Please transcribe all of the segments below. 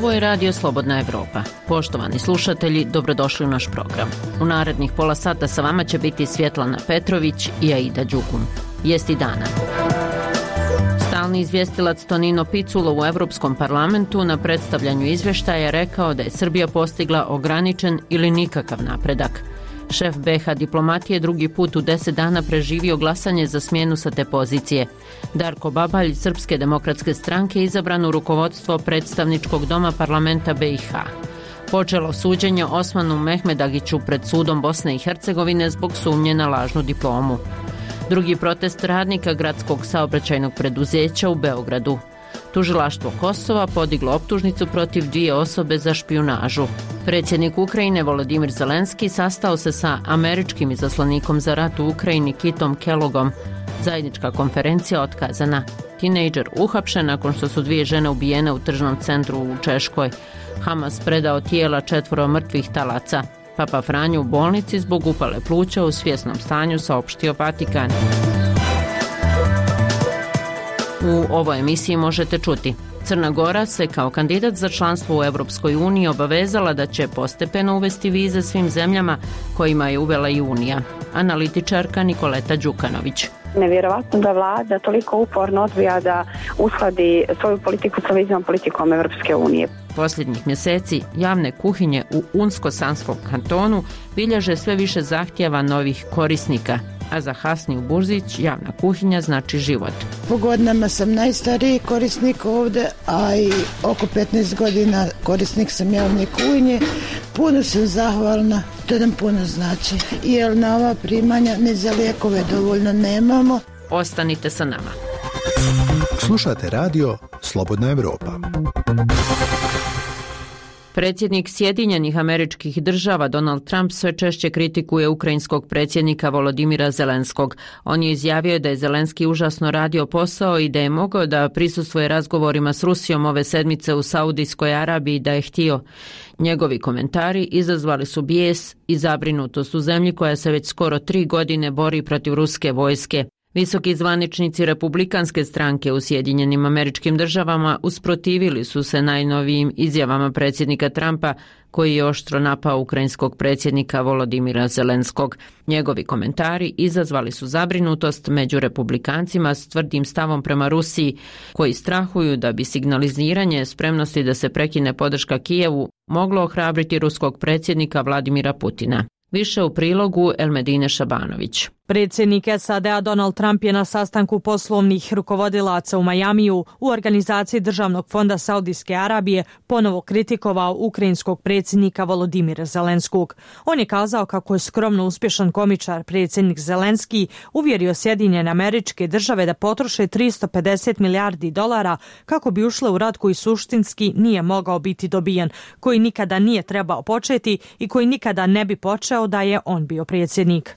Ovo je Radio Slobodna Evropa. Poštovani slušatelji, dobrodošli u naš program. U narednih pola sata sa vama će biti Svjetlana Petrović i Aida Đukun. Vijesti dana. Stalni izvjestilac Tonino Picula u Evropskom parlamentu na predstavljanju izvještaja rekao da je Srbija postigla ograničen ili nikakav napredak. Šef BiH diplomatije drugi put u 10 dana preživio glasanje za smjenu sa te pozicije. Darko Babalj, Srpske demokratske stranke, izabran u rukovodstvo predstavničkog doma parlamenta BiH. Počelo suđenje Osmanu Mehmedagiću pred sudom Bosne i Hercegovine zbog sumnje na lažnu diplomu. Drugi protest radnika gradskog saobraćajnog preduzeća u Beogradu. Tužilaštvo Kosova podiglo optužnicu protiv 2 osobe za špijunažu. Predsjednik Ukrajine Volodimir Zelenski sastao se sa američkim izaslanikom za rat u Ukrajini Kitom Kellogom. Zajednička konferencija otkazana. Tinejdžer uhapšen nakon što su 2 žene ubijene u tržnom centru u Češkoj. Hamas predao tijela 4 mrtvih talaca. Papa Franjo u bolnici zbog upale pluća u svjesnom stanju, saopštio Vatikan. U ovoj emisiji možete čuti: Crna Gora se kao kandidat za članstvo u Europskoj uniji obavezala da će postepeno uvesti vize svim zemljama kojima je uvela i Unija. Analitičarka Nikoleta Đukanović. Nevjerovatno da vlada toliko uporno odbija da uskladi svoju politiku sa viznom politikom Europske unije. Posljednjih mjeseci javne kuhinje u Unsko-Sanskom kantonu bilježe sve više zahtjeva novih korisnika, a za Hasniju Burzić javna kuhinja znači život. Po godinama sam najstariji korisnik ovdje, a i oko 15 godina korisnik sam javne kuhinje. Puno sam zahvalna, to nam puno znači, jer na ova primanja ni za lijekove dovoljno nemamo. Ostanite sa nama. Slušate radio Slobodna Evropa. Predsjednik Sjedinjenih Američkih Država Donald Trump sve češće kritikuje ukrajinskog predsjednika Volodimira Zelenskog. On je izjavio da je Zelenski užasno radio posao i da je mogao da prisustvuje razgovorima s Rusijom ove sedmice u Saudijskoj Arabiji da je htio. Njegovi komentari izazvali su bijes i zabrinutost u zemlji koja se već skoro 3 godine bori protiv ruske vojske. Visoki zvaničnici Republikanske stranke u Sjedinjenim Američkim Državama usprotivili su se najnovijim izjavama predsjednika Trumpa, koji je oštro napao ukrajinskog predsjednika Volodimira Zelenskog. Njegovi komentari izazvali su zabrinutost među republikancima s tvrdim stavom prema Rusiji, koji strahuju da bi signaliziranje spremnosti da se prekine podrška Kijevu moglo ohrabriti ruskog predsjednika Vladimira Putina. Više u prilogu Elmedine Šabanović. Predsjednik SAD-a Donald Trump je na sastanku poslovnih rukovodilaca u Majamiju u organizaciji Državnog fonda Saudijske Arabije ponovo kritikovao ukrajinskog predsjednika Volodimira Zelenskog. On je kazao kako je skromno uspješan komičar predsjednik Zelenski uvjerio Sjedinjene Američke Države da potroše $350 milijardi kako bi ušle u rat koji suštinski nije mogao biti dobijen, koji nikada nije trebao početi i koji nikada ne bi počeo da je on bio predsjednik.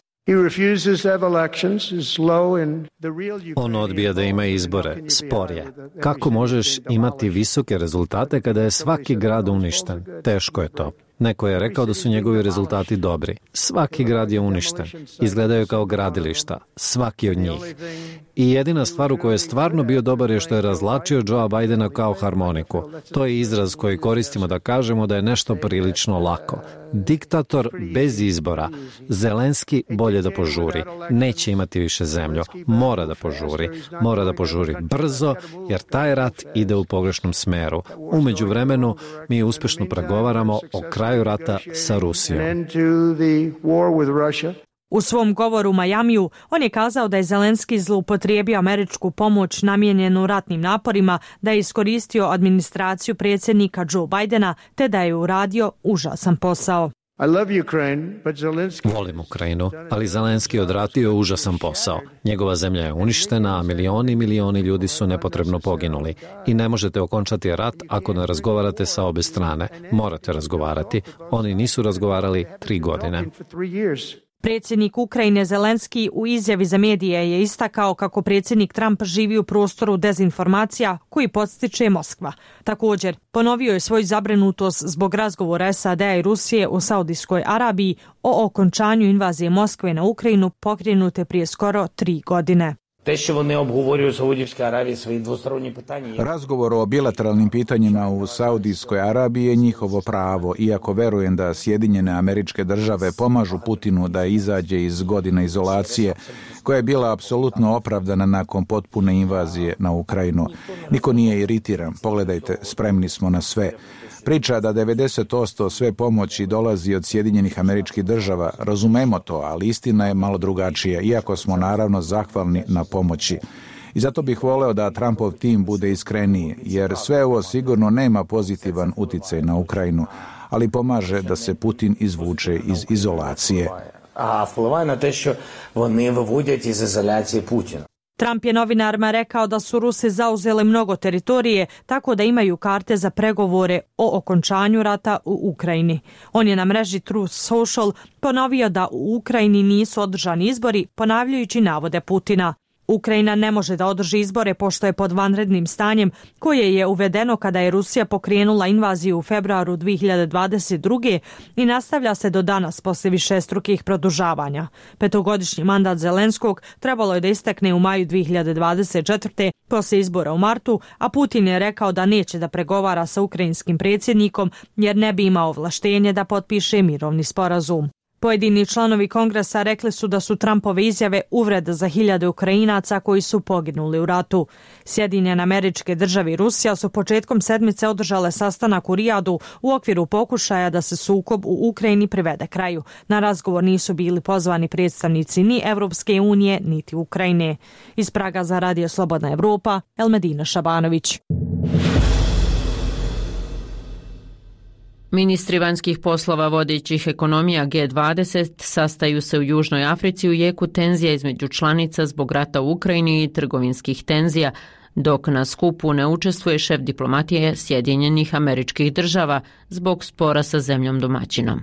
On odbija da ima izbore, spor je. Kako možeš imati visoke rezultate kada je svaki grad uništen? Teško je to. Neko je rekao da su njegovi rezultati dobri. Svaki grad je uništen. Izgledaju kao gradilišta. Svaki od njih. I jedina stvar u kojoj je stvarno bio dobar je što je razlačio Joea Bidena kao harmoniku. To je izraz koji koristimo da kažemo da je nešto prilično lako. Diktator bez izbora. Zelenski bolje da požuri. Neće imati više zemlju. Mora da požuri. Mora da požuri brzo, jer taj rat ide u pogrešnom smeru. U međuvremenu mi uspješno pregovaramo o kraju rata sa Rusijom. U svom govoru u Majamiju on je kazao da je Zelenski zloupotrijebio američku pomoć namijenjenu ratnim naporima, da je iskoristio administraciju predsjednika Joe Bidena te da je uradio užasan posao. Volim Ukrajinu, ali Zelenski je odradio užasan posao. Njegova zemlja je uništena, a milioni ljudi su nepotrebno poginuli. I ne možete okončati rat ako ne razgovarate sa obe strane. Morate razgovarati. Oni nisu razgovarali 3 godine. Predsjednik Ukrajine Zelenski u izjavi za medije je istakao kako predsjednik Trump živi u prostoru dezinformacija koji podstiče Moskva. Također, ponovio je svoju zabrinutost zbog razgovora SAD-a i Rusije u Saudijskoj Arabiji o okončanju invazije Moskve na Ukrajinu pokrenute prije skoro 3 godine. Razgovor o bilateralnim pitanjima u Saudijskoj Arabiji je njihovo pravo, iako verujem da Sjedinjene Američke Države pomažu Putinu da izađe iz godina izolacije, koja je bila apsolutno opravdana nakon potpune invazije na Ukrajinu. Niko nije iritiran, pogledajte, spremni smo na sve. Priča da 90% sve pomoći dolazi od Sjedinjenih Američkih Država, razumemo to, ali istina je malo drugačija, iako smo naravno zahvalni na pomoći. I zato bih voleo da Trumpov tim bude iskreniji, jer sve ovo sigurno nema pozitivan uticaj na Ukrajinu, ali pomaže da se Putin izvuče iz izolacije. A vpliva na te, što oni vyvodять iz izolacije Putina. Trump je novinarima rekao da su Rusi zauzeli mnogo teritorije, tako da imaju karte za pregovore o okončanju rata u Ukrajini. On je na mreži Truth Social ponovio da u Ukrajini nisu održani izbori, ponavljajući navode Putina. Ukrajina ne može da održi izbore pošto je pod vanrednim stanjem koje je uvedeno kada je Rusija pokrenula invaziju u februaru 2022. i nastavlja se do danas posle višestrukih produžavanja. Petogodišnji mandat Zelenskog trebalo je da istekne u maju 2024. posle izbora u martu, a Putin je rekao da neće da pregovara sa ukrajinskim predsjednikom jer ne bi imao ovlaštenje da potpiše mirovni sporazum. Pojedini članovi kongresa rekli su da su Trumpove izjave uvreda za hiljade Ukrajinaca koji su poginuli u ratu. Sjedinjene Američke Države i Rusija su početkom sedmice održale sastanak u Rijadu u okviru pokušaja da se sukob u Ukrajini privede kraju. Na razgovor nisu bili pozvani predstavnici ni Evropske unije, niti Ukrajine. Iz Praga za Radio Slobodna Evropa, Elmedina Šabanović. Ministri vanjskih poslova vodećih ekonomija G20 sastaju se u Južnoj Africi u jeku tenzija između članica zbog rata u Ukrajini i trgovinskih tenzija, dok na skupu ne učestvuje šef diplomatije Sjedinjenih Američkih Država zbog spora sa zemljom domaćinom.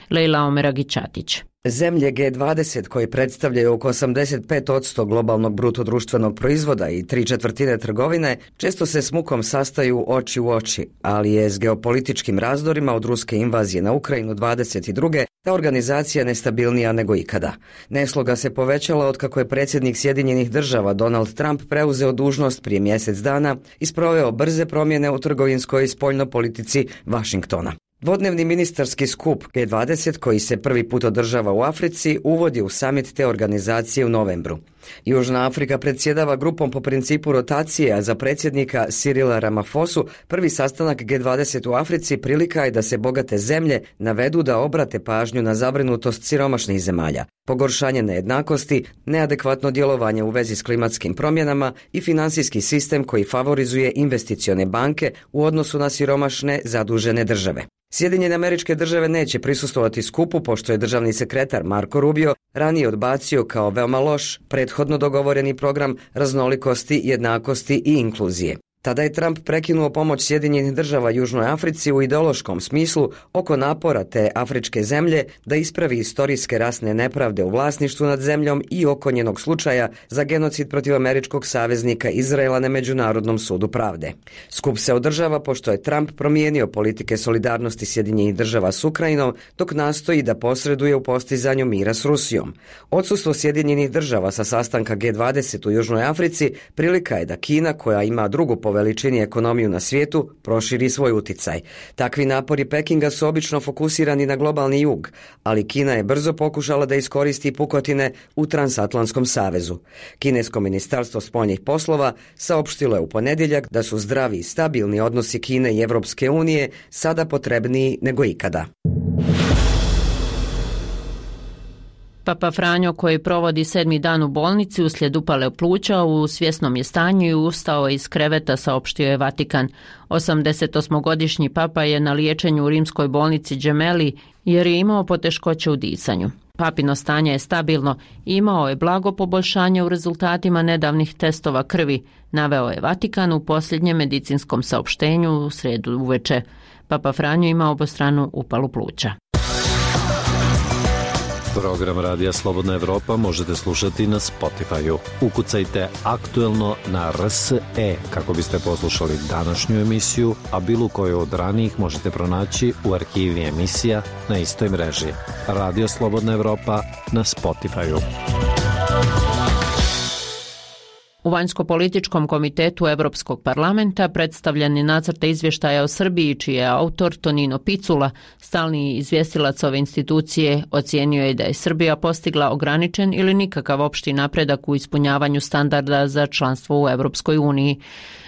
Lejla Omeragić-Ćatić. Zemlje G20 koji predstavljaju oko 85% globalnog brutodruštvenog proizvoda i 3/4 trgovine često se s mukom sastaju oči u oči, ali je s geopolitičkim razdorima od ruske invazije na Ukrajinu 22. ta organizacija nestabilnija nego ikada. Nesloga se povećala otkako je predsjednik Sjedinjenih Država Donald Trump preuzeo dužnost prije mjesec dana i sproveo brze promjene u trgovinskoj i spoljnoj politici Vašingtona. Dvodnevni ministarski skup G20 koji se prvi put održava u Africi uvodi u samit te organizacije u novembru. Južna Afrika predsjedava grupom po principu rotacije, a za predsjednika Cyrila Ramaphosu prvi sastanak G20 u Africi prilika je da se bogate zemlje navedu da obrate pažnju na zabrinutost siromašnih zemalja, pogoršanje nejednakosti, neadekvatno djelovanje u vezi s klimatskim promjenama i finansijski sistem koji favorizuje investicione banke u odnosu na siromašne zadužene države. Sjedinjene Američke Države neće prisustvovati skupu pošto je državni sekretar Marco Rubio ranije odbacio kao veoma loš prethodno dogovoreni program raznolikosti, jednakosti i inkluzije. Tada je Trump prekinuo pomoć Sjedinjenih Država Južnoj Africi u ideološkom smislu oko napora te afričke zemlje da ispravi istorijske rasne nepravde u vlasništvu nad zemljom i oko njenog slučaja za genocid protiv američkog saveznika Izraela na Međunarodnom sudu pravde. Skup se održava pošto je Trump promijenio politike solidarnosti Sjedinjenih Država s Ukrajinom dok nastoji da posreduje u postizanju mira s Rusijom. Odsustvo Sjedinjenih Država sa sastanka G20 u Južnoj Africi prilika je da Kina, koja ima drugu po veličini ekonomiju na svijetu, proširi svoj uticaj. Takvi napori Pekinga su obično fokusirani na globalni jug, ali Kina je brzo pokušala da iskoristi pukotine u Transatlantskom savezu. Kinesko ministarstvo spoljnih poslova saopštilo je u ponedjeljak da su zdravi i stabilni odnosi Kine i Evropske unije sada potrebniji nego ikada. Papa Franjo, koji provodi 7. dan u bolnici uslijed upale pluća, u svjesnom je stanju i ustao iz kreveta, saopštio je Vatikan. 88-godišnji papa je na liječenju u rimskoj bolnici Gemelli jer je imao poteškoće u disanju. Papino stanje je stabilno i imao je blago poboljšanje u rezultatima nedavnih testova krvi, naveo je Vatikan u posljednjem medicinskom saopštenju u srijedu uveče. Papa Franjo ima obostranu upalu pluća. Program Radija Slobodna Evropa možete slušati na Spotify-u. Ukucajte aktuelno na RSE kako biste poslušali današnju emisiju, a bilo koju od ranijih možete pronaći u arhivi emisija na istoj mreži. Radio Slobodna Evropa na Spotify-u. U Vanjsko-političkom komitetu Evropskog parlamenta predstavljen je nacrt izvještaja o Srbiji, čiji je autor Tonino Picula, stalni izvjestilac ove institucije, ocijenio je da je Srbija postigla ograničen ili nikakav opšti napredak u ispunjavanju standarda za članstvo u Evropskoj uniji.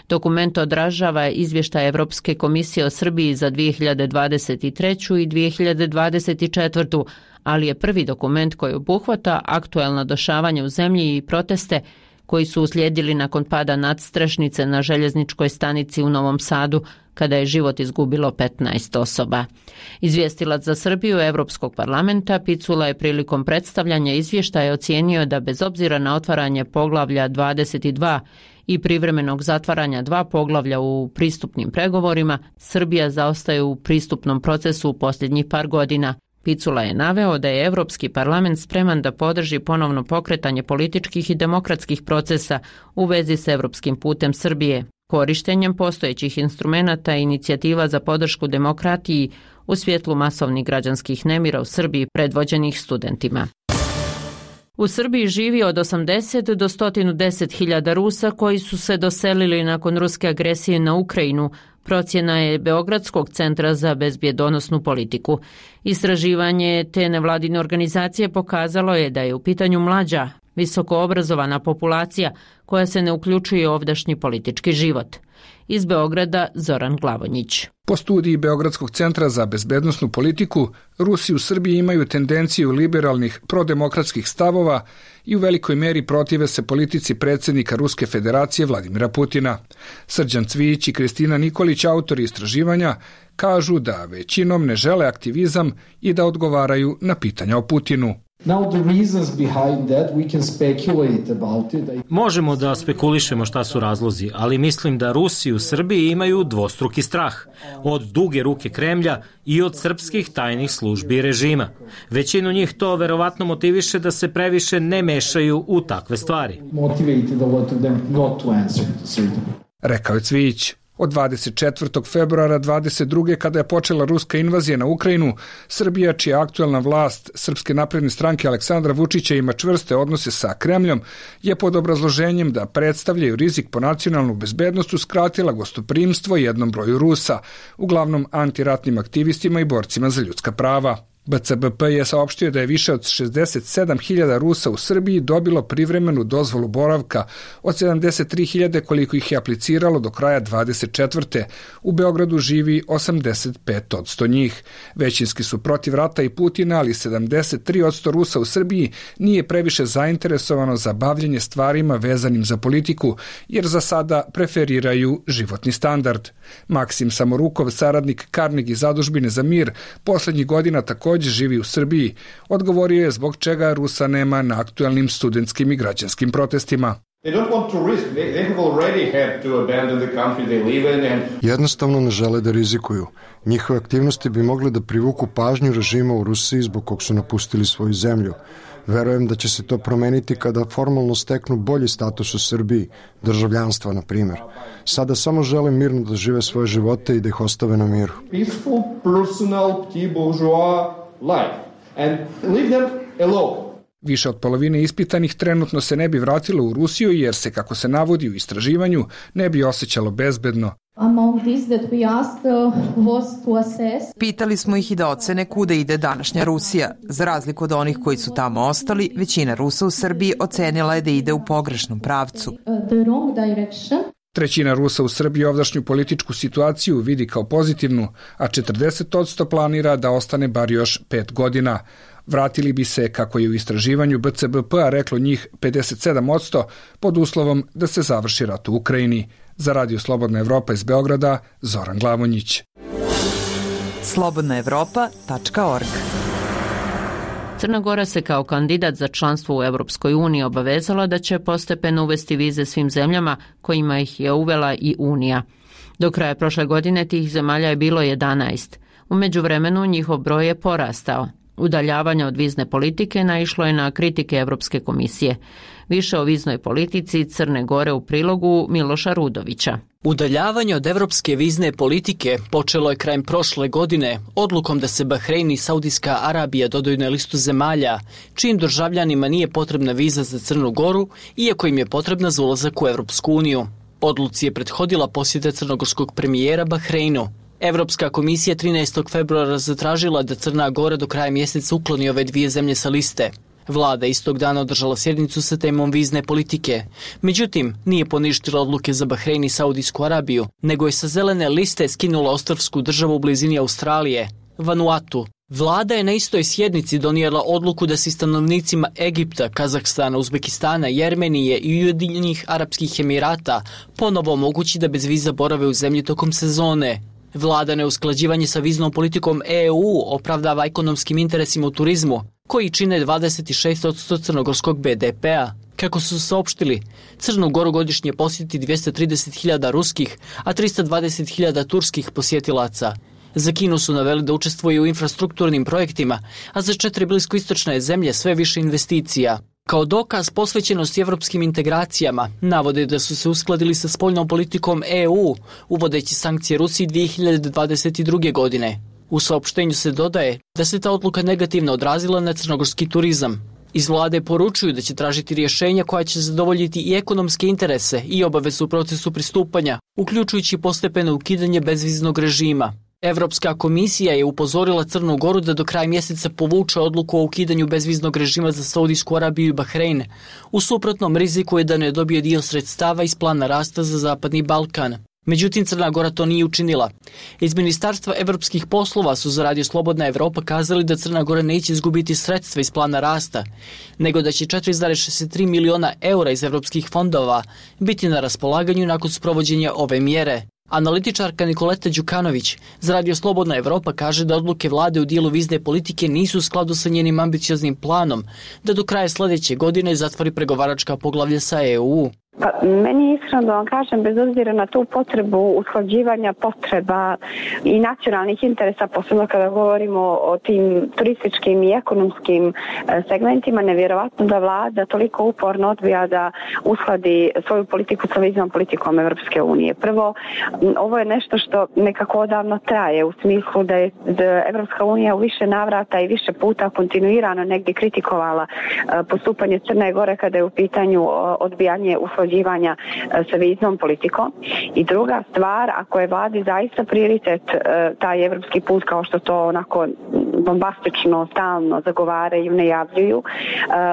Dokument odražava izvještaj Evropske komisije o Srbiji za 2023. i 2024., ali je prvi dokument koji obuhvata aktuelna dešavanja u zemlji i proteste koji su uslijedili nakon pada nadstrešnice na željezničkoj stanici u Novom Sadu, kada je život izgubilo 15 osoba. Izvjestilac za Srbiju Evropskog parlamenta Picula je prilikom predstavljanja izvještaja ocijenio da bez obzira na otvaranje poglavlja 22 i privremenog zatvaranja 2 poglavlja u pristupnim pregovorima, Srbija zaostaje u pristupnom procesu u posljednjih par godina. Picula je naveo da je Evropski parlament spreman da podrži ponovno pokretanje političkih i demokratskih procesa u vezi s evropskim putem Srbije, korištenjem postojećih instrumenata i inicijativa za podršku demokratiji u svjetlu masovnih građanskih nemira u Srbiji predvođenih studentima. U Srbiji živi od 80 do 110.000 Rusa koji su se doselili nakon ruske agresije na Ukrajinu, procjena je Beogradskog centra za bezbjedonosnu politiku. Istraživanje te nevladine organizacije pokazalo je da je u pitanju mlađa, visoko obrazovana populacija koja se ne uključuje u ovdašnji politički život. Iz Beograda Zoran Glavonjić. Po studiji Beogradskog centra za bezbednosnu politiku, Rusi u Srbiji imaju tendenciju liberalnih prodemokratskih stavova i u velikoj meri protive se politici predsjednika Ruske federacije Vladimira Putina. Srđan Cvijić i Kristina Nikolić, autori istraživanja, kažu da većinom ne žele aktivizam i da odgovaraju na pitanja o Putinu. Možemo da spekulišemo šta su razlozi, ali mislim da Rusi u Srbiji imaju dvostruki strah. Od duge ruke Kremlja i od srpskih tajnih službi i režima. Većinu njih to verovatno motiviše da se previše ne mešaju u takve stvari. Rekao je Cvijić. Od 24. februara 22. kada je počela ruska invazija na Ukrajinu, Srbija, čija aktuelna vlast Srpske napredne stranke Aleksandra Vučića ima čvrste odnose sa Kremljom, je pod obrazloženjem da predstavljaju rizik po nacionalnu bezbednost uskratila gostoprimstvo jednom broju Rusa, uglavnom antiratnim aktivistima i borcima za ljudska prava. BCBP je saopštio da je više od 67.000 Rusa u Srbiji dobilo privremenu dozvolu boravka od 73.000 koliko ih je apliciralo do kraja 24. U Beogradu živi 85% njih. Većinski su protiv rata i Putina, ali 73% Rusa u Srbiji nije previše zainteresovano za bavljenje stvarima vezanim za politiku, jer za sada preferiraju životni standard. Maksim Samorukov, saradnik Carnegie zadužbine za mir, posljednjih godina također živi u Srbiji, odgovorio je zbog čega Rusa nema na aktuelnim studentskim i građanskim protestima. Jednostavno ne žele da rizikuju. Njihove aktivnosti bi mogle da privuku pažnju režima u Rusiji zbog kog su napustili svoju zemlju. Verujem da će se to promeniti kada formalno steknu bolji status u Srbiji, državljanstva na primjer. Sada samo žele mirno da žive svoje živote i da ih ostave na miru. Peaceful, personal, petit bourgeois life and leave them alone. Više od polovine ispitanih trenutno se ne bi vratilo u Rusiju jer se, kako se navodi u istraživanju, ne bi osjećalo bezbedno. Pitali smo ih i da ocene kuda ide današnja Rusija. Za razliku od onih koji su tamo ostali, većina Rusa u Srbiji ocenila je da ide u pogrešnom pravcu. Trećina Rusa u Srbiji ovdašnju političku situaciju vidi kao pozitivnu, a 40% planira da ostane bar još 5 godina. Vratili bi se, kako je u istraživanju BCBP-a reklo njih 57%, pod uslovom da se završi rat u Ukrajini. Za Radio Slobodna Evropa iz Beograda, Zoran Glavonjić. slobodnaevropa.org. Crna Gora se kao kandidat za članstvo u Europskoj uniji obavezala da će postepeno uvesti vize svim zemljama kojima ih je uvela i Unija. Do kraja prošle godine tih zemalja je bilo 11. U međuvremenu njihov broj je porastao. Udaljavanje od vizne politike naišlo je na kritike Europske komisije. Više o viznoj politici Crne Gore u prilogu Miloša Rudovića. Udaljavanje od evropske vizne politike počelo je krajem prošle godine odlukom da se Bahrein i Saudijska Arabija dodaju na listu zemalja čijim državljanima nije potrebna viza za Crnu Goru, iako im je potrebna za ulazak u Evropsku uniju. Odluci je prethodila posjeta crnogorskog premijera Bahreinu. Evropska komisija 13. februara zatražila da Crna Gora do kraja mjeseca ukloni ove dvije zemlje sa liste. Vlada istog dana održala sjednicu sa temom vizne politike. Međutim, nije poništila odluke za Bahrein i Saudijsku Arabiju, nego je sa zelene liste skinula ostrvsku državu u blizini Australije, Vanuatu. Vlada je na istoj sjednici donijela odluku da se stanovnicima Egipta, Kazahstana, Uzbekistana, Jermenije i Ujedinjenih Arapskih Emirata ponovo omogući da bez viza borave u zemlji tokom sezone. Vlada neusklađivanje sa viznom politikom EU opravdava ekonomskim interesima u turizmu, koji čine 26% crnogorskog BDP-a. Kako su saopštili, Crnu Goru godišnje posjeti 230.000 ruskih, a 320.000 turskih posjetilaca. Za Kinu su naveli da učestvuju u infrastrukturnim projektima, a za 4 bliskoistočne zemlje sve više investicija. Kao dokaz posvećenosti evropskim integracijama, navode da su se uskladili sa spoljnom politikom EU, uvodeći sankcije Rusiji 2022. godine. U saopštenju se dodaje da se ta odluka negativno odrazila na crnogorski turizam. Iz vlade poručuju da će tražiti rješenja koja će zadovoljiti i ekonomske interese i obavezu u procesu pristupanja, uključujući postepeno ukidanje bezviznog režima. Evropska komisija je upozorila Crnu Goru da do kraja mjeseca povuče odluku o ukidanju bezviznog režima za Saudijsku Arabiju i Bahrein. U suprotnom riziku je da ne dobije dio sredstava iz plana rasta za Zapadni Balkan. Međutim, Crna Gora to nije učinila. Iz Ministarstva evropskih poslova su za Radio Slobodna Evropa kazali da Crna Gora neće izgubiti sredstva iz plana rasta, nego da će 4,63 miliona eura iz evropskih fondova biti na raspolaganju nakon sprovođenja ove mjere. Analitičarka Nikoleta Đukanović za Radio Slobodna Evropa kaže da odluke vlade u dijelu vizne politike nisu u skladu sa njenim ambicioznim planom da do kraja sljedeće godine zatvori pregovaračka poglavlja sa EU. Pa, meni iskreno da vam kažem, bez obzira na tu potrebu usklađivanja potreba i nacionalnih interesa, posebno kada govorimo o tim turističkim i ekonomskim segmentima, nevjerovatno da vlada toliko uporno odbija da uskladi svoju politiku sa viznom politikom Evropske unije. Prvo, ovo je nešto što nekako odavno traje, u smislu da je Evropska unija u više navrata i više puta kontinuirano negdje kritikovala postupanje Crne Gore kada je u pitanju odbijanje usklađivanja sa viznom politikom. I druga stvar, ako je vladi zaista prioritet taj evropski put, kao što to onako bombastično stalno zagovaraju, najavljuju,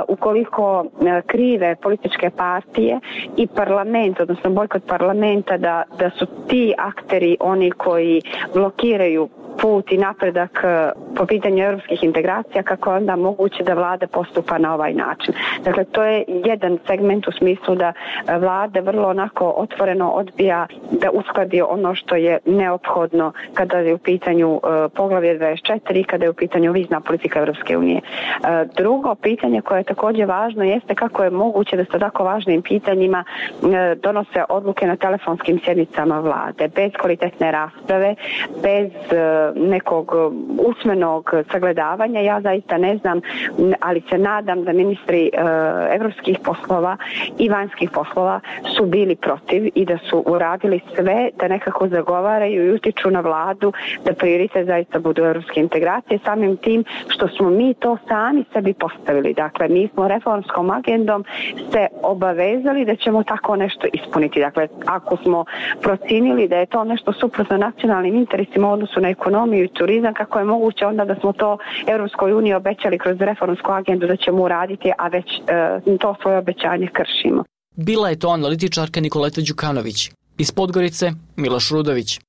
ukoliko krive političke partije i parlament, odnosno bojkot parlamenta, da su ti akteri oni koji blokiraju put i napredak po pitanju europskih integracija, kako je onda moguće da vlada postupa na ovaj način. Dakle, to je jedan segment u smislu da vlada vrlo onako otvoreno odbija da uskladi ono što je neophodno kada je u pitanju poglavlje 24 i kada je u pitanju vizna politika Europske unije. Drugo pitanje koje je također važno jeste kako je moguće da se tako važnim pitanjima donose odluke na telefonskim sjednicama vlade, bez kvalitetne rasprave, bez nekog usmenog sagledavanja. Ja zaista ne znam, ali se nadam da ministri evropskih poslova i vanjskih poslova su bili protiv i da su uradili sve da nekako zagovaraju i utiču na vladu da prioritet zaista budu evropske integracije, samim tim što smo mi to sami sebi postavili. Dakle, mi smo reformskom agendom se obavezali da ćemo tako nešto ispuniti. Dakle, ako smo procinili da je to nešto suprotno nacionalnim interesima u odnosu na ekonomiju i turizam, kako je moguće onda da smo to Europskoj uniji obećali kroz reformsku agendu da ćemo uraditi, a već to svoje obećanje kršimo. Bila je to analitičarka Nikoleta Đukanović. Iz Podgorice, Miloš Rudović.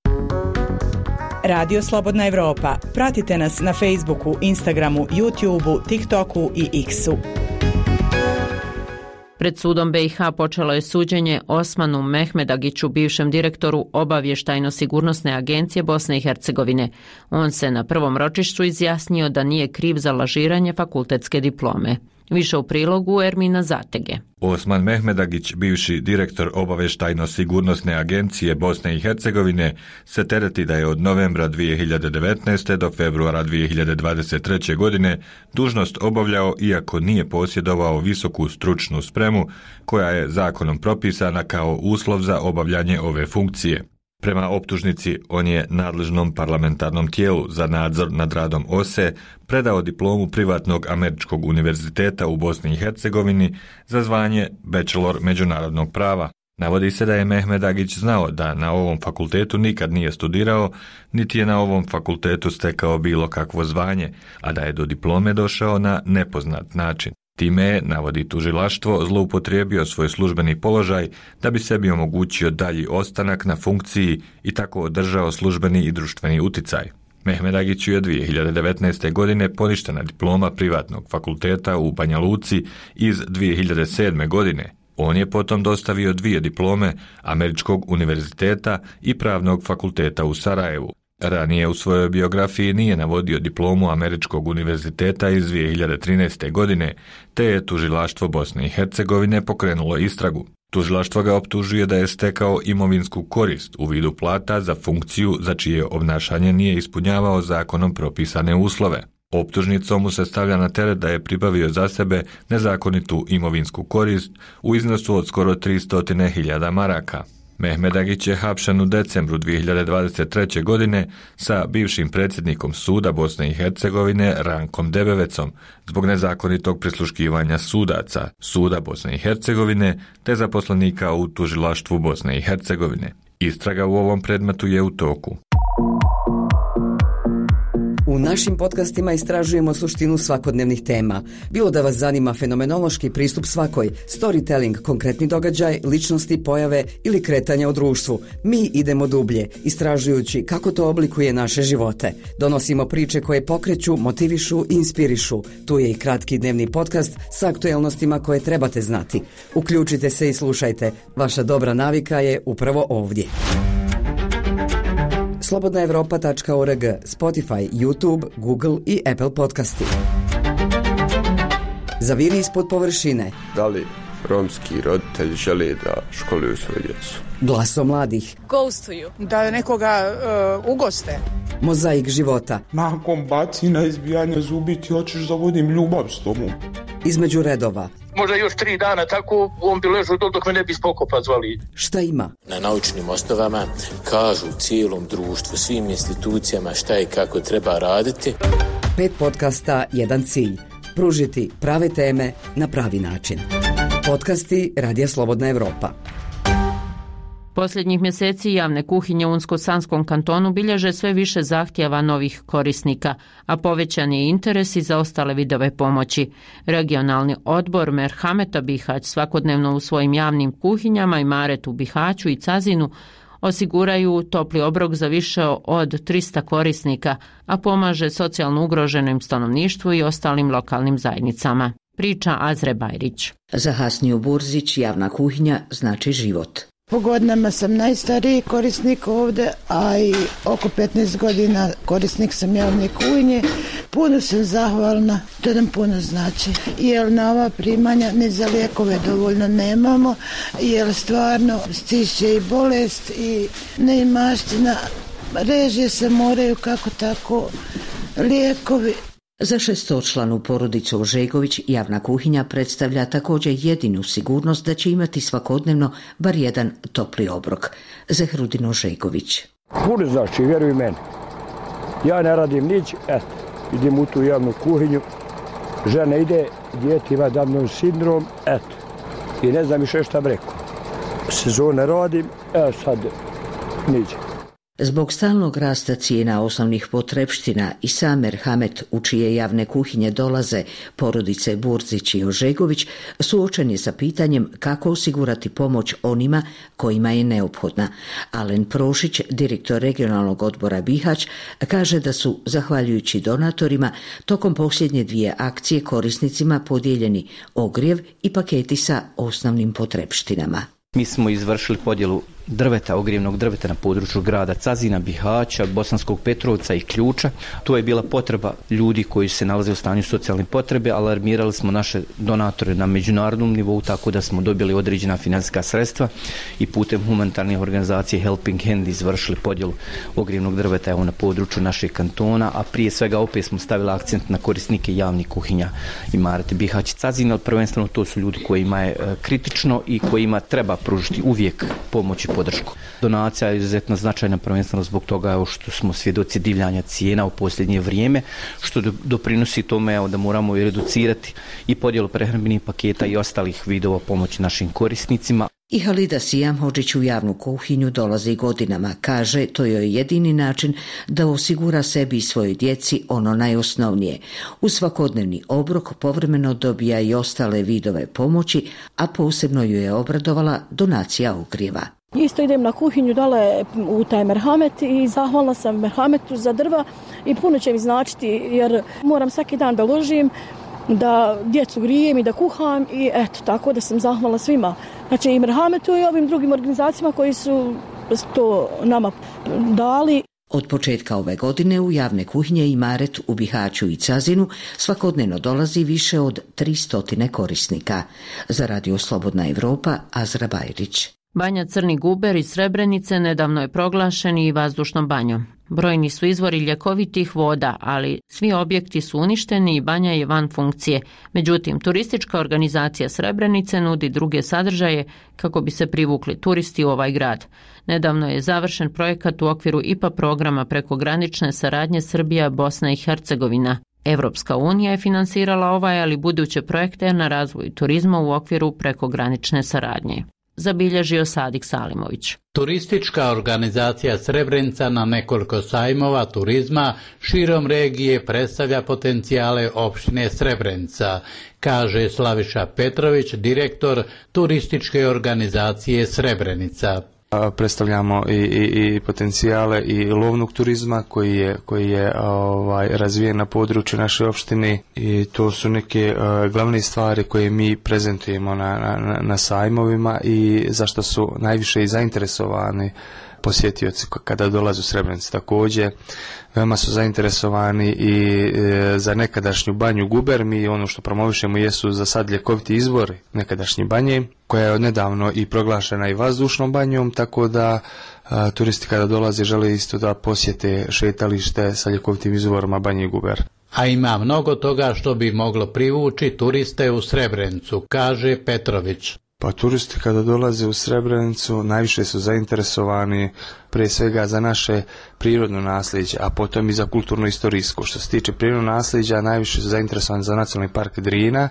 Radio Slobodna Evropa. Pratite nas na Facebooku, Instagramu, YouTubeu, TikToku i X-u. Pred sudom BiH počelo je suđenje Osmanu Mehmedagiću, bivšem direktoru Obavještajno-sigurnosne agencije Bosne i Hercegovine. On se na prvom ročištu izjasnio da nije kriv za lažiranje fakultetske diplome. Više u prilogu Ermina Zatege. Osman Mehmedagić, bivši direktor obavještajno-sigurnosne agencije Bosne i Hercegovine, se tereti da je od novembra 2019. do februara 2023. godine dužnost obavljao iako nije posjedovao visoku stručnu spremu koja je zakonom propisana kao uslov za obavljanje ove funkcije. Prema optužnici, on je nadležnom parlamentarnom tijelu za nadzor nad radom OSE predao diplomu privatnog američkog univerziteta u Bosni i Hercegovini za zvanje bachelor međunarodnog prava. Navodi se da je Mehmedagić znao da na ovom fakultetu nikad nije studirao, niti je na ovom fakultetu stekao bilo kakvo zvanje, a da je do diplome došao na nepoznat način. Time je, navodi tužilaštvo, zloupotrijebio svoj službeni položaj da bi sebi omogućio dalji ostanak na funkciji i tako održao službeni i društveni uticaj. Mehmedagiću je 2019. godine poništena diploma privatnog fakulteta u Banja Luci iz 2007. godine. On je potom dostavio 2 diplome Američkog univerziteta i Pravnog fakulteta u Sarajevu. Ranije u svojoj biografiji nije navodio diplomu Američkog univerziteta iz 2013. godine, te je tužilaštvo Bosne i Hercegovine pokrenulo istragu. Tužilaštvo ga optužuje da je stekao imovinsku korist u vidu plata za funkciju za čije obnašanje nije ispunjavao zakonom propisane uslove. Optužnicom mu se stavlja na teret da je pribavio za sebe nezakonitu imovinsku korist u iznosu od skoro 300.000 maraka. Mehmedagić je hapšen u decembru 2023. godine sa bivšim predsjednikom suda Bosne i Hercegovine Rankom Debevecom zbog nezakonitog prisluškivanja sudaca suda Bosne i Hercegovine te zaposlenika u tužilaštvu Bosne i Hercegovine. Istraga u ovom predmetu je u toku. U našim podcastima istražujemo suštinu svakodnevnih tema. Bilo da vas zanima fenomenološki pristup svakoj, storytelling, konkretni događaj, ličnosti, pojave ili kretanja u društvu. Mi idemo dublje, istražujući kako to oblikuje naše živote. Donosimo priče koje pokreću, motivišu i inspirišu. Tu je i kratki dnevni podcast sa aktuelnostima koje trebate znati. Uključite se i slušajte. Vaša dobra navika je upravo ovdje. slobodnaevropa.org, Spotify, YouTube, Google i Apple podcasti. Zaviri ispod površine. Da li romski roditelji žele da školuju svoju djecu? Glaso mladih. Ghostuju. Da nekoga ugoste. Mozaik života. Nakon bacina izbijanja zubi ti hoćeš da vodim ljubav s tobom. Između redova. Možda još 3 dana tako on bi ležao dok me ne bi spokopa zvali. Šta ima? Na naučnim osnovama kažu cijelom društvu, svim institucijama šta i kako treba raditi. 5 podcasta, 1 cilj. Pružiti prave teme na pravi način. Podcasti Radija Slobodna Evropa. Posljednjih mjeseci javne kuhinje u Unsko-Sanskom kantonu bilježe sve više zahtjeva novih korisnika, a povećan je interes i za ostale vidove pomoći. Regionalni odbor Merhameta Bihać svakodnevno u svojim javnim kuhinjama i Maret u Bihaću i Cazinu osiguraju topli obrok za više od 300 korisnika, a pomaže socijalno ugroženim stanovništvu i ostalim lokalnim zajednicama. Priča Azre Bajrić. Za Hasniju Burzić javna kuhinja znači život. Po godinama sam najstariji korisnik ovdje, a i oko 15 godina korisnik sam javne kuhinje. Puno sam zahvalna, to nam puno znači, jer na ova primanja ni za lijekove dovoljno nemamo, jer stvarno stišće i bolest i neimaština, režije se moraju kako tako, lijekovi. Za 600-članu porodicu Žegović javna kuhinja predstavlja također jedinu sigurnost da će imati svakodnevno bar jedan topli obrok. Zehrudin Žegović. Puno znači, vjeruj meni. Ja ne radim nić, idem u tu javnu kuhinju, žena ide, dijete ima Downov sindrom, i ne znam više šta bi rekao. Sezone radim, sad niđe. Zbog stalnog rasta cijena osnovnih potrepština i sam Merhamet u čije javne kuhinje dolaze porodice Burzić i Ožegović suočen je sa pitanjem kako osigurati pomoć onima kojima je neophodna. Alen Prošić, direktor regionalnog odbora Bihać, kaže da su, zahvaljujući donatorima, tokom posljednje 2 akcije korisnicima podijeljeni ogrijev i paketi sa osnovnim potrepštinama. Mi smo izvršili podjelu drveta, ogrjevnog drveta na području grada Cazina, Bihaća, Bosanskog Petrovca i Ključa. Tu je bila potreba ljudi koji se nalaze u stanju socijalne potrebe, alarmirali smo naše donatore na međunarodnom nivou, tako da smo dobili određena financijska sredstva i putem humanitarnih organizacije Helping Hand izvršili podjelu ogrjevnog drveta na području našeg kantona, a prije svega opet smo stavili akcent na korisnike javnih kuhinja Imaret Bihać Cazin, ali prvenstveno to su ljudi kojima je kritično i kojima treba pružiti uvijek pomoć i podršku. Donacija je izuzetno značajna, prvenstveno zbog toga što smo svjedoci divljanja cijena u posljednje vrijeme, što doprinosi tome da moramo i reducirati i podjelu prehrambenih paketa i ostalih vidova pomoći našim korisnicima. I Halida Sijamhodžić u javnu kuhinju dolazi godinama. Kaže, to je jedini način da osigura sebi i svojoj djeci ono najosnovnije. U svakodnevni obrok povremeno dobija i ostale vidove pomoći, a posebno ju je obradovala donacija ogrijeva. Isto idem na kuhinju dole u taj merhamet i zahvalna sam merhametu za drva i puno će mi značiti jer moram svaki dan da ložim, da djecu grijem i da kuham i eto, tako da sam zahvalna svima. Znači i merhametu i ovim drugim organizacijama koji su to nama dali. Od početka ove godine u javne kuhinje Imaret u Bihaću i Cazinu svakodnevno dolazi više od 300 korisnika. Za Radio Slobodna Evropa, Azra Bajrić. Banja Crni Guber iz Srebrenice nedavno je proglašen i vazdušnom banjom. Brojni su izvori ljekovitih voda, ali svi objekti su uništeni i banja je van funkcije. Međutim, turistička organizacija Srebrenice nudi druge sadržaje kako bi se privukli turisti u ovaj grad. Nedavno je završen projekat u okviru IPA programa prekogranične saradnje Srbija, Bosna i Hercegovina. Evropska unija je finansirala ovaj, ali buduće projekte na razvoj turizma u okviru prekogranične saradnje. Zabilježio Sadik Salimović. Turistička organizacija Srebrenica na nekoliko sajmova turizma širom regije predstavlja potencijale opštine Srebrenica, kaže Slaviša Petrović, direktor turističke organizacije Srebrenica. Predstavljamo i potencijale i lovnog turizma koji je razvijen na području naše opštine i to su neke glavne stvari koje mi prezentujemo na sajmovima i zašto su najviše i zainteresovani posjetioci kada dolaze u Srebrenicu. Također, veoma su zainteresovani i za nekadašnju banju Guber. Mi ono što promovišemo jesu za sad ljekoviti izvori nekadašnje banje, koja je odnedavno i proglašena i vazdušnom banjom, tako da turisti kada dolaze žele isto da posjete šetalište sa ljekovitim izvorima banje Guber. A ima mnogo toga što bi moglo privući turiste u Srebrenicu, kaže Petrović. Pa turisti kada dolaze u Srebrenicu najviše su zainteresovani prije svega za naše prirodno nasljeđe, a potom i za kulturno-istorijsko. Što se tiče prirodnog nasljeđa, najviše su zainteresovani za nacionalni park Drina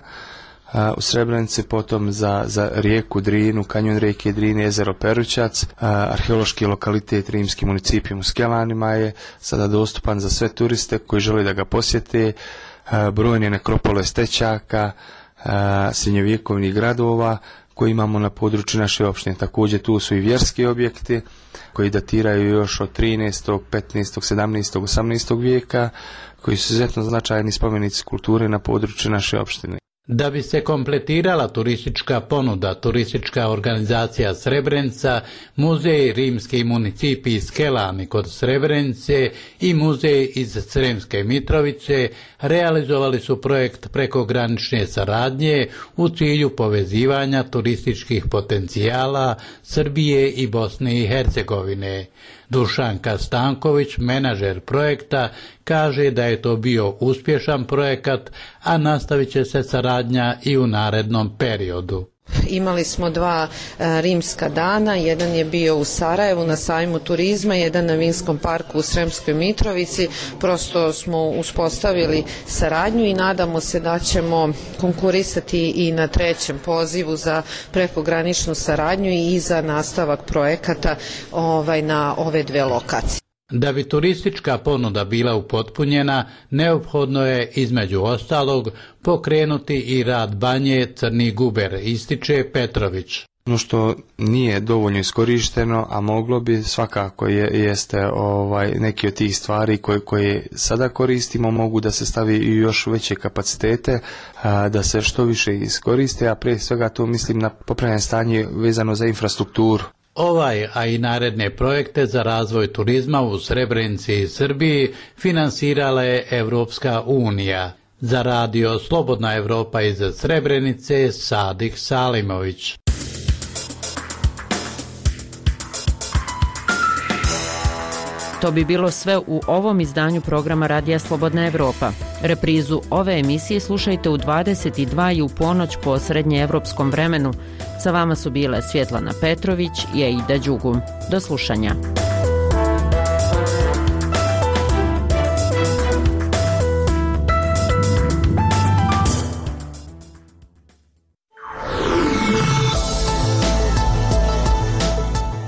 u Srebrenici, potom za rijeku Drinu, kanjon rijeke Drine, jezero Perućac, arheološki lokalitet rimski municipijum u Skelanima je sada dostupan za sve turiste koji žele da ga posjete, brojne nekropole Stećaka, srednjovjekovnih gradova koji imamo na području naše opštine. Također tu su i vjerski objekti koji datiraju još od 13., 15., 17., 18. vijeka, koji su izuzetno značajni spomenici kulture na području naše opštine. Da bi se kompletirala turistička ponuda, turistička organizacija Srebrenica, muzej rimski municipij Skelani kod Srebrenice i muzej iz Sremske Mitrovice realizovali su projekt prekogranične saradnje u cilju povezivanja turističkih potencijala Srbije i Bosne i Hercegovine. Dušanka Stanković, menadžer projekta, kaže da je to bio uspješan projekat, a nastavit će se saradnja i u narednom periodu. Imali smo 2 rimska dana, jedan je bio u Sarajevu na sajmu turizma, jedan na Vinskom parku u Sremskoj Mitrovici. Prosto smo uspostavili saradnju i nadamo se da ćemo konkurisati i na 3. pozivu za prekograničnu saradnju i za nastavak projekata na ove 2 lokacije. Da bi turistička ponuda bila upotpunjena, neophodno je između ostalog pokrenuti i rad banje Crni Guber, ističe Petrović. Ono što nije dovoljno iskorišteno, a moglo bi svakako jeste neki od tih stvari koje sada koristimo, mogu da se stavi i još veće kapacitete, da se što više iskoriste, a prije svega to mislim na popravljanje stanje vezano za infrastrukturu. Ovaj, a i naredne projekte za razvoj turizma u Srebrenici i Srbiji finansirala je Evropska unija. Za radio Slobodna Evropa iz Srebrenice, Sadih Salimović. To bi bilo sve u ovom izdanju programa Radija Slobodna Evropa. Reprizu ove emisije slušajte u 22 i u ponoć po srednjeevropskom vremenu. Sa vama su bile Svjetlana Petrović i Aida Đugum. Do slušanja.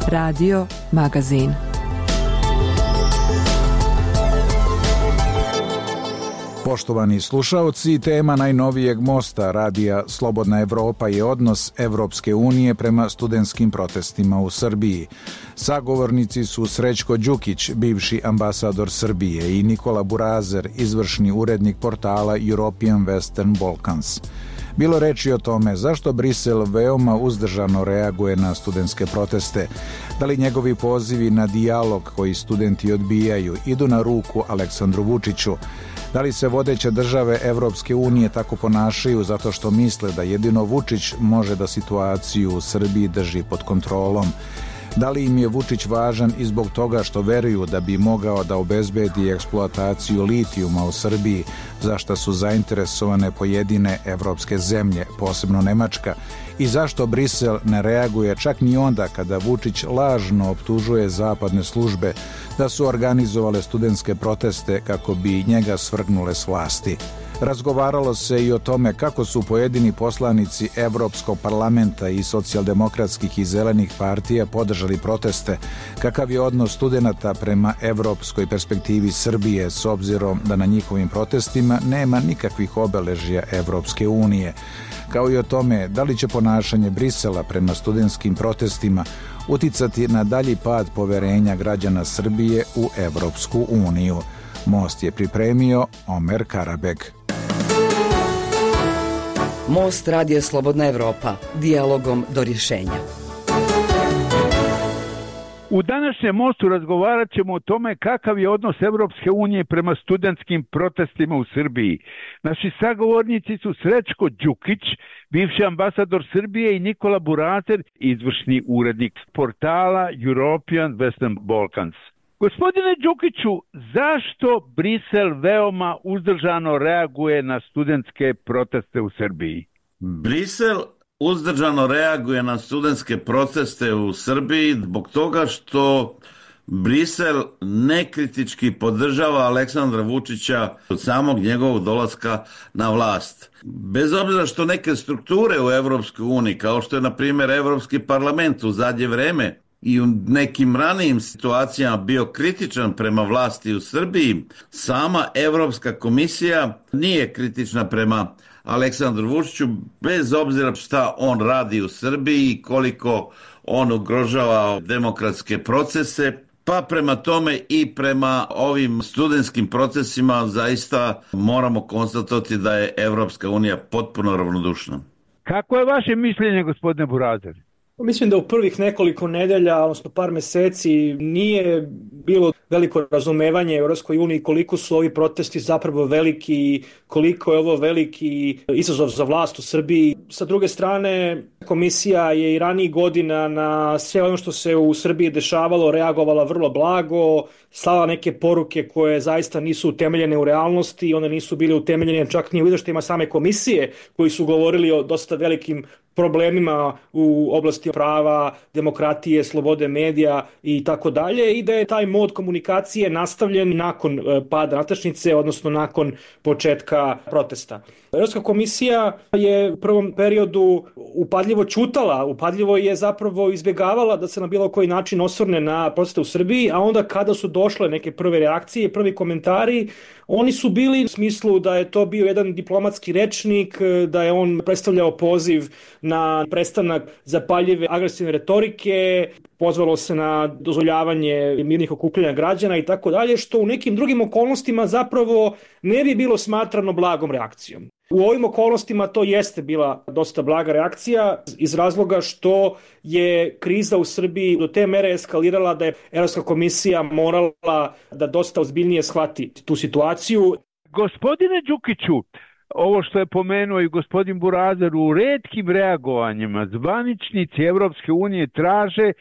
Radio Magazin. Poštovani slušaoci, tema najnovijeg mosta Radija Slobodna Evropa je odnos Evropske unije prema studentskim protestima u Srbiji. Sagovornici su Srećko Đukić, bivši ambasador Srbije, i Nikola Burazer, izvršni urednik portala European Western Balkans. Bilo reči o tome zašto Brisel veoma uzdržano reaguje na studentske proteste, da li njegovi pozivi na dijalog koji studenti odbijaju idu na ruku Aleksandru Vučiću, da li se vodeće države Evropske unije tako ponašaju zato što misle da jedino Vučić može da situaciju u Srbiji drži pod kontrolom, da li im je Vučić važan i zbog toga što veruju da bi mogao da obezbedi eksploataciju litijuma u Srbiji, za šta su zainteresovane pojedine evropske zemlje, posebno Nemačka, i zašto Brisel ne reaguje čak ni onda kada Vučić lažno optužuje zapadne službe da su organizovale studentske proteste kako bi njega svrgnule s vlasti. Razgovaralo se i o tome kako su pojedini poslanici Evropskog parlamenta i socijaldemokratskih i zelenih partija podržali proteste, kakav je odnos studenata prema evropskoj perspektivi Srbije s obzirom da na njihovim protestima nema nikakvih obeležja Evropske unije, kao i o tome da li će ponašanje Brisela prema studentskim protestima uticati na dalji pad poverenja građana Srbije u Evropsku uniju. Most je pripremio Omer Karabeg. Most Radija Slobodna Evropa. Dijalogom do rješenja. U današnjem mostu razgovarat ćemo o tome kakav je odnos Evropske unije prema studentskim protestima u Srbiji. Naši sagovornici su Srećko Đukić, bivši ambasador Srbije, i Nikola Burazer, izvršni urednik portala European Western Balkans. Gospodine Đukiću, zašto Brisel veoma uzdržano reaguje na studentske proteste u Srbiji? Brisel uzdržano reaguje na studentske proteste u Srbiji zbog toga što Brisel nekritički podržava Aleksandra Vučića od samog njegovog dolaska na vlast. Bez obzira što neke strukture u Evropskoj uniji, kao što je na primjer Evropski parlament u zadnje vreme i u nekim ranijim situacijama bio kritičan prema vlasti u Srbiji, sama Evropska komisija nije kritična prema Aleksandru Vučiću, bez obzira šta on radi u Srbiji i koliko on ugrožava demokratske procese. Pa prema tome i prema ovim studentskim procesima zaista moramo konstatovati da je Evropska unija potpuno ravnodušna. Kako je vaše mišljenje, gospodine Burazer? Mislim da u prvih nekoliko nedelja, odnosno par meseci, nije bilo veliko razumevanje Evropskoj uniji koliko su ovi protesti zapravo veliki, koliko je ovo veliki izazov za vlast u Srbiji. Sa druge strane, komisija je i ranijih godina na sve ono što se u Srbiji dešavalo reagovala vrlo blago, slala neke poruke koje zaista nisu utemeljene u realnosti, one nisu bile utemeljene čak ni u izveštajima same komisije koji su govorili o dosta velikim problemima u oblasti prava, demokratije, slobode medija i tako dalje, i da je taj mod komunikacije nastavljen nakon pada natačnice, odnosno nakon početka protesta. Evropska komisija je u prvom periodu upadljivo ćutala, upadljivo je zapravo izbjegavala da se na bilo koji način osvrne na proteste u Srbiji, a onda kada su došle neke prve reakcije, prvi komentari, oni su bili u smislu da je to bio jedan diplomatski rečnik, da je on predstavljao poziv na prestanak zapaljive agresivne retorike, pozvalo se na dozvoljavanje mirnih okupljanja građana i tako dalje, što u nekim drugim okolnostima zapravo ne bi bilo smatrano blagom reakcijom. U ovim okolnostima to jeste bila dosta blaga reakcija iz razloga što je kriza u Srbiji do te mere eskalirala da je Evropska komisija morala da dosta ozbiljnije shvati tu situaciju. Gospodine Đukiću, ovo što je pomenuo i gospodin Burazer, u retkim reagovanjima zvaničnici Evropske unije traže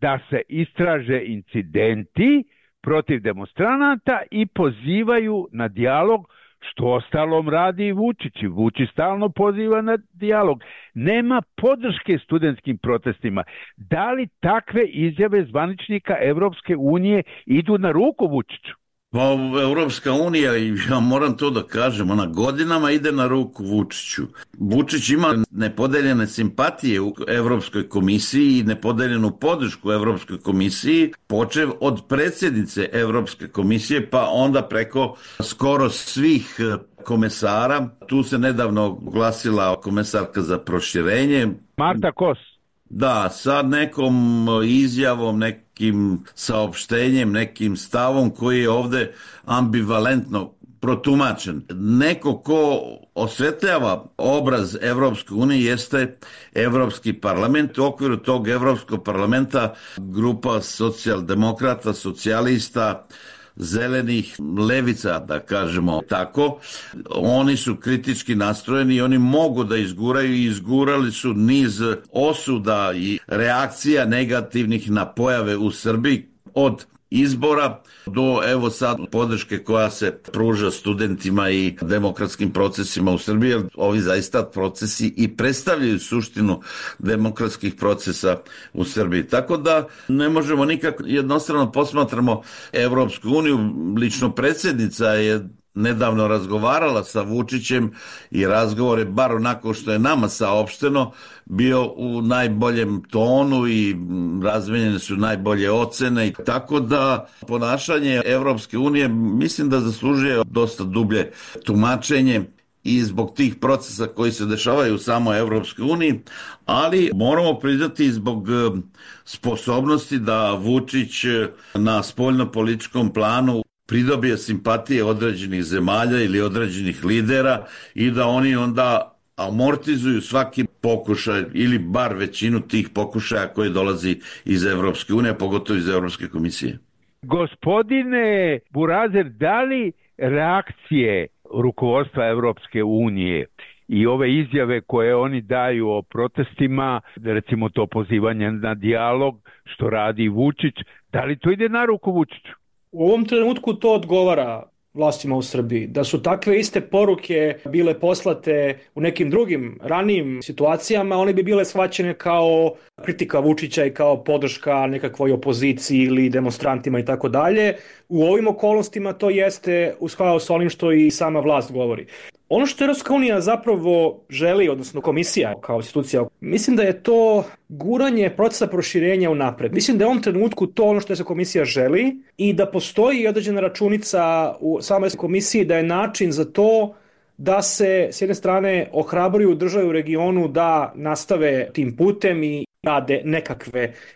da se istraže incidenti protiv demonstranata i pozivaju na dijalog, što ostalom radi i Vučić. Vučić stalno poziva na dijalog. Nema podrške studentskim protestima. Da li takve izjave zvaničnika Evropske unije idu na ruku Vučiću? Pa Evropska unija, i ja moram to da kažem, ona godinama ide na ruku Vučiću. Vučić ima nepodeljene simpatije u Evropskoj komisiji i nepodeljenu podršku Evropskoj komisiji, počev od predsjednice Evropske komisije pa onda preko skoro svih komesara. Tu se nedavno oglasila komesarka za proširenje. Marta Kos. Da, sa nekom izjavom, nekim saopštenjem, nekim stavom koji je ovde ambivalentno protumačen. Neko ko osvetljava obraz Evropske unije jeste Evropski parlament. U okviru tog Evropskog parlamenta grupa socijaldemokrata, socijalista, zelenih, levica, da kažemo tako, oni su kritički nastrojeni i oni mogu da izguraju i izgurali su niz osuda i reakcija negativnih na pojave u Srbiji od izbora do evo sad podrške koja se pruža studentima i demokratskim procesima u Srbiji, jer ovi zaista procesi i predstavljaju suštinu demokratskih procesa u Srbiji. Tako da ne možemo nikako jednostrano posmatramo Evropsku uniju. Lično predsjednica je nedavno razgovarala sa Vučićem i razgovor je, bar onako što je nama saopšteno, bio u najboljem tonu i razmenjene su najbolje ocene. Tako da ponašanje Evropske unije mislim da zaslužuje dosta dublje tumačenje i zbog tih procesa koji se dešavaju u samoj Evropskoj uniji, ali moramo priznati zbog sposobnosti da Vučić na spoljnopolitičkom planu pridobije simpatije određenih zemalja ili određenih lidera i da oni onda amortizuju svaki pokušaj ili bar većinu tih pokušaja koji dolazi iz Evropske unije, pogotovo iz Evropske komisije. Gospodine Burazer, da li reakcije rukovodstva Evropske unije i ove izjave koje oni daju o protestima, recimo to pozivanje na dijalog, što radi Vučić, da li to ide na ruku Vučiću? U ovom trenutku to odgovara vlastima u Srbiji. Da su takve iste poruke bile poslate u nekim drugim ranijim situacijama, one bi bile shvaćene kao kritika Vučića i kao podrška nekakvoj opoziciji ili demonstrantima i tako dalje. U ovim okolnostima to jeste u skladu sa onim što i sama vlast govori. Ono što Evropska unija zapravo želi, odnosno komisija kao institucija, mislim da je to guranje procesa proširenja unapred. Mislim da je u ovom trenutku to ono što se komisija želi i da postoji određena računica u samoj komisiji da je način za to da se s jedne strane ohrabruju države u regionu da nastave tim putem i rade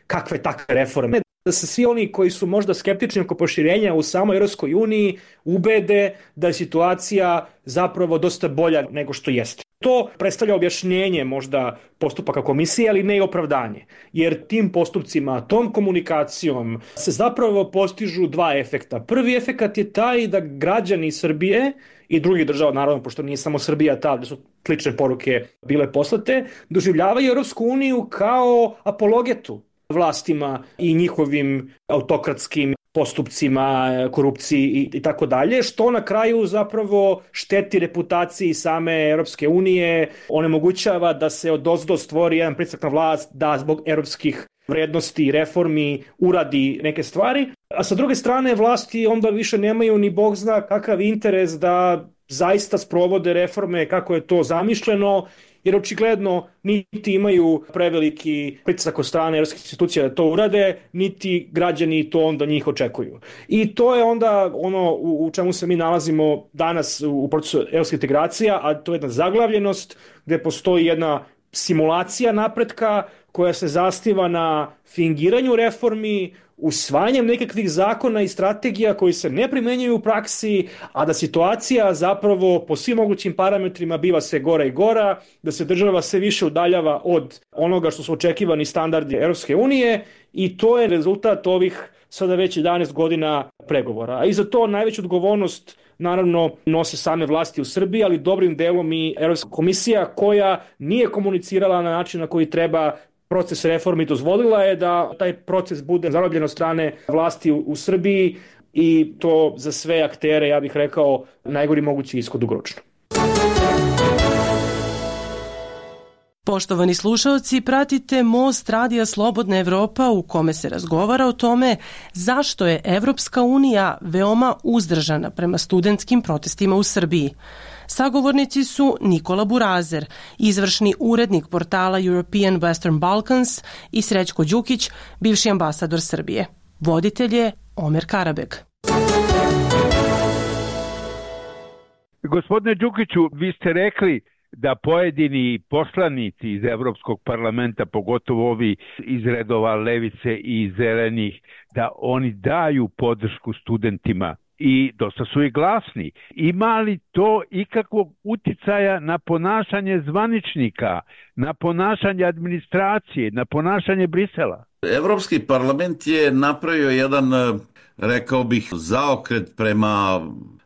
kakve takve reforme. Da se svi oni koji su možda skeptični oko proširenja u samoj Europskoj uniji ubede da je situacija zapravo dosta bolja nego što jeste. To predstavlja objašnjenje možda postupaka komisije, ali ne i opravdanje. Jer tim postupcima, tom komunikacijom se zapravo postižu dva efekta. Prvi efekat je taj da građani Srbije i drugih država, naravno, pošto nije samo Srbija ta, da su slične poruke bile poslate, doživljavaju Europsku uniju kao apologetu vlastima i njihovim autokratskim postupcima, korupciji i tako dalje, što na kraju zapravo šteti reputaciji same Europske unije, onemogućava da se odozdo stvori jedan pritisak na vlast da zbog europskih vrednosti i reformi uradi neke stvari, a sa druge strane vlasti onda više nemaju ni bog zna kakav interes da zaista sprovode reforme kako je to zamišljeno, jer očigledno niti imaju preveliki pritisak od strane europskih institucija da to urade, niti građani to onda njih očekuju. I to je onda ono u čemu se mi nalazimo danas u procesu europskih integracija, a to je jedna zaglavljenost gdje postoji jedna simulacija napretka koja se zasniva na fingiranju reformi, usvajanjem nekakvih zakona i strategija koji se ne primenjuju u praksi, a da situacija zapravo po svim mogućim parametrima biva sve gora i gora, da se država sve više udaljava od onoga što su očekivani standardi Europske unije i to je rezultat ovih sada već 11 godina pregovora. A i za to najveću odgovornost naravno nose same vlasti u Srbiji, ali dobrim delom i Europska komisija koja nije komunicirala na način na koji treba proces reformi. Dozvolila je da taj proces bude zarobljen od strane vlasti u Srbiji i to za sve aktere, ja bih rekao, najgori mogući ishod dugoročno. Poštovani slušaoci, pratite Most Radija Slobodna Evropa u kome se razgovara o tome zašto je Evropska unija veoma uzdržana prema studentskim protestima u Srbiji. Sagovornici su Nikola Burazer, izvršni urednik portala European Western Balkans i Srećko Đukić, bivši ambasador Srbije. Voditelj je Omer Karabek. Gospodine Đukiću, vi ste rekli da pojedini poslanici iz Evropskog parlamenta, pogotovo ovi iz redova levice i zelenih, da oni daju podršku studentima i dosta su i glasni. Ima li to ikakvog uticaja na ponašanje zvaničnika, na ponašanje administracije, na ponašanje Brisela? Evropski parlament je napravio jedan, rekao bih, zaokret prema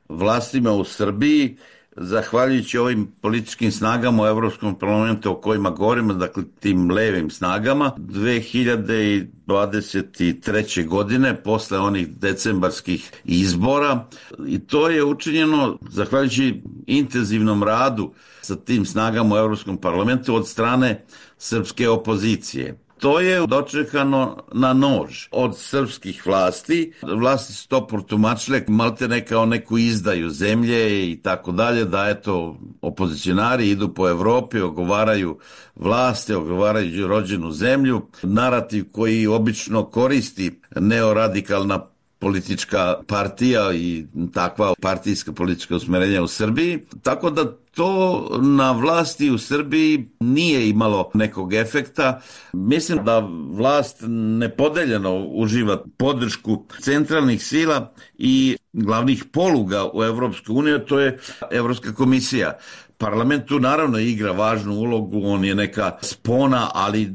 vlastima u Srbiji, zahvaljujući ovim političkim snagama u Evropskom parlamentu o kojima govorimo, dakle tim levim snagama, 2023. godine, posle onih decembarskih izbora, i to je učinjeno zahvaljujući intenzivnom radu sa tim snagama u Evropskom parlamentu od strane srpske opozicije. To je dočekano na nož od srpskih vlasti. Vlasti su to protumačile maltene kao neku izdaju zemlje i tako dalje, da eto opozicionari idu po Evropi, ogovaraju vlasti, ogovaraju rođenu zemlju. Narativ koji obično koristi neoradikalna politička partija i takva partijska politička usmerenja u Srbiji. Tako da to na vlasti u Srbiji nije imalo nekog efekta. Mislim da vlast nepodeljeno uživa podršku centralnih sila i glavnih poluga u Evropskoj uniji, to je Evropska komisija. Parlament tu naravno igra važnu ulogu, on je neka spona, ali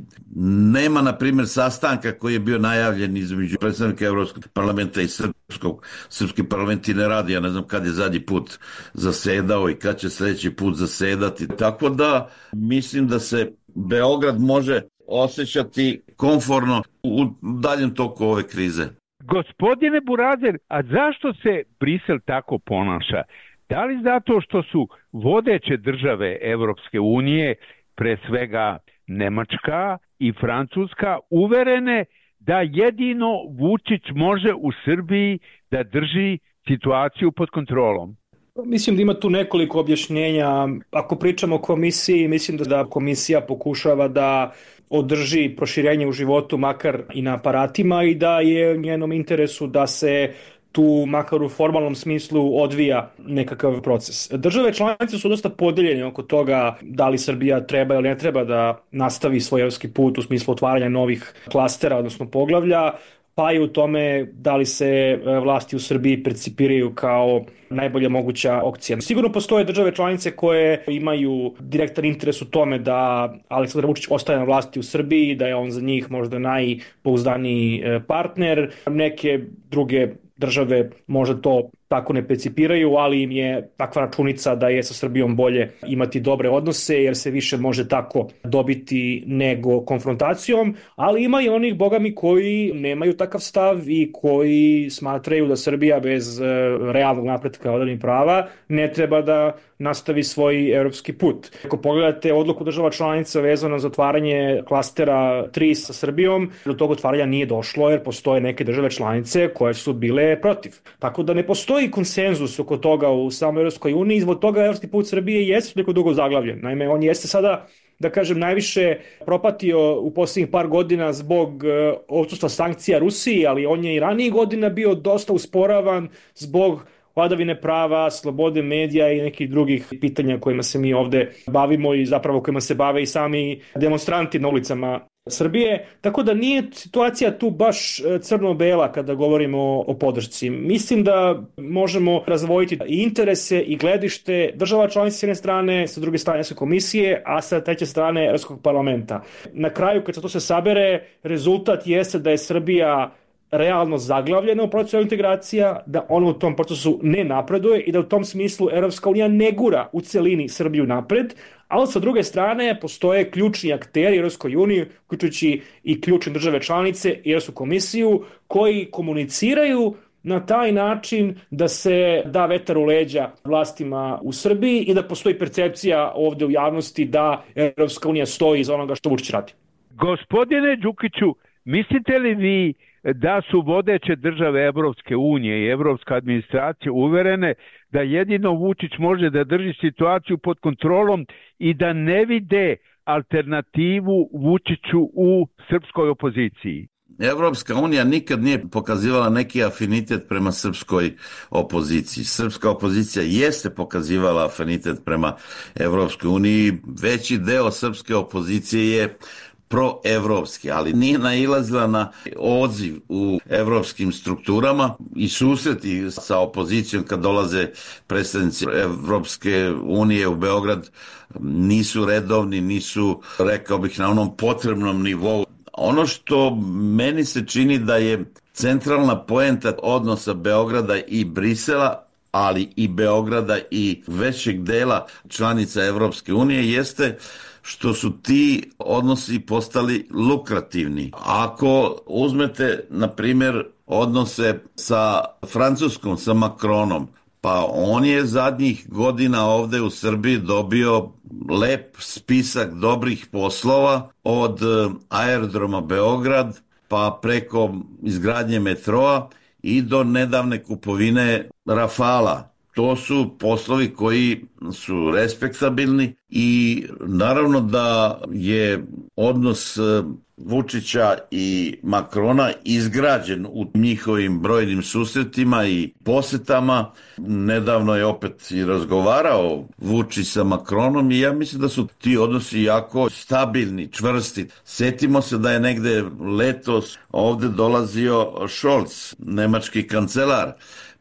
nema, na primjer, sastanka koji je bio najavljen između predstavnika Evropskog parlamenta i srpski parlament i ne radi. Ja ne znam kad je zadnji put zasedao i kad će sljedeći put zasedati. Tako da mislim da se Beograd može osjećati komforno u daljem toku ove krize. Gospodine Burazer, a zašto se Brisel tako ponaša? Da li zato što su vodeće države Evropske unije, pre svega Nemačka i Francuska, uverene da jedino Vučić može u Srbiji da drži situaciju pod kontrolom? Mislim da ima tu nekoliko objašnjenja. Ako pričamo o komisiji, mislim da komisija pokušava da održi proširenje u životu, makar i na aparatima, i da je u njenom interesu da se tu, makar u formalnom smislu, odvija nekakav proces. Države članice su dosta podeljene oko toga da li Srbija treba ili ne treba da nastavi svoj evropski put u smislu otvaranja novih klastera, odnosno poglavlja, pa i u tome da li se vlasti u Srbiji percipiraju kao najbolja moguća opcija. Sigurno postoje države članice koje imaju direktan interes u tome da Aleksandar Vučić ostaje na vlasti u Srbiji, da je on za njih možda najpouzdaniji partner. Neke druge države možda to tako ne percipiraju, ali im je takva računica da je sa Srbijom bolje imati dobre odnose, jer se više može tako dobiti nego konfrontacijom, ali ima i onih, bogami, koji nemaju takav stav i koji smatraju da Srbija bez realnog napretka vladavine prava ne treba da nastavi svoj evropski put. Ako pogledate odluku država članica vezano za otvaranje klastera 3 sa Srbijom, do tog otvaranja nije došlo jer postoje neke države članice koje su bile protiv. Tako da ne postoji konsenzus oko toga u samoj Evropskoj uniji i zbog toga evropski put Srbije jeste neko dugo zaglavljen. Naime, on jeste sada, da kažem, najviše propatio u posljednjih par godina zbog odsustva sankcija Rusiji, ali on je i ranijih godina bio dosta usporavan zbog vladavine prava, slobode medija i nekih drugih pitanja kojima se mi ovde bavimo i zapravo kojima se bave i sami demonstranti na ulicama Srbije, tako da nije situacija tu baš crno-bela kada govorimo o podršci. Mislim da možemo razvojiti i interese i gledište država članica s jedne strane, sa druge strane Evropske komisije, a sa treće strane Evropskog parlamenta. Na kraju, kad se to se sabere, rezultat jeste da je Srbija realno zaglavljena u procesu integracija, da ona u tom procesu ne napreduje i da u tom smislu Evropska unija ne gura u celini Srbiju napred, ali sa druge strane postoje ključni akteri u Evropskoj uniji, uključujući i ključne države članice i Evropsku komisiju, koji komuniciraju na taj način da se da vetar u leđa vlastima u Srbiji i da postoji percepcija ovde u javnosti da Evropska unija stoji iza onoga što Vučić radi. Gospodine Đukiću, mislite li vi da su vodeće države Evropske unije i evropska administracija uverene da jedino Vučić može da drži situaciju pod kontrolom i da ne vide alternativu Vučiću u srpskoj opoziciji? Evropska unija nikad nije pokazivala neki afinitet prema srpskoj opoziciji. Srpska opozicija jeste pokazivala afinitet prema Evropskoj uniji. Veći deo srpske opozicije je proevropski, ali nije nailazila na odziv u evropskim strukturama i susreti sa opozicijom kad dolaze predstavnici Evropske unije u Beograd nisu redovni, nisu, rekao bih, na onom potrebnom nivou. Ono što meni se čini da je centralna poenta odnosa Beograda i Brisela, ali i Beograda i većeg dela članica Evropske unije jeste što su ti odnosi postali lukrativni. Ako uzmete, na primjer, odnose sa Francuskom, sa Macronom, pa on je zadnjih godina ovde u Srbiji dobio lep spisak dobrih poslova od aerodroma Beograd, pa preko izgradnje metroa i do nedavne kupovine Rafala. To su poslovi koji su respektabilni i naravno da je odnos Vučića i Makrona izgrađen u njihovim brojnim susretima i posetama. Nedavno je opet i razgovarao Vučić sa Makronom i ja mislim da su ti odnosi jako stabilni, čvrsti. Setimo se da je negde letos ovde dolazio Scholz, nemački kancelar.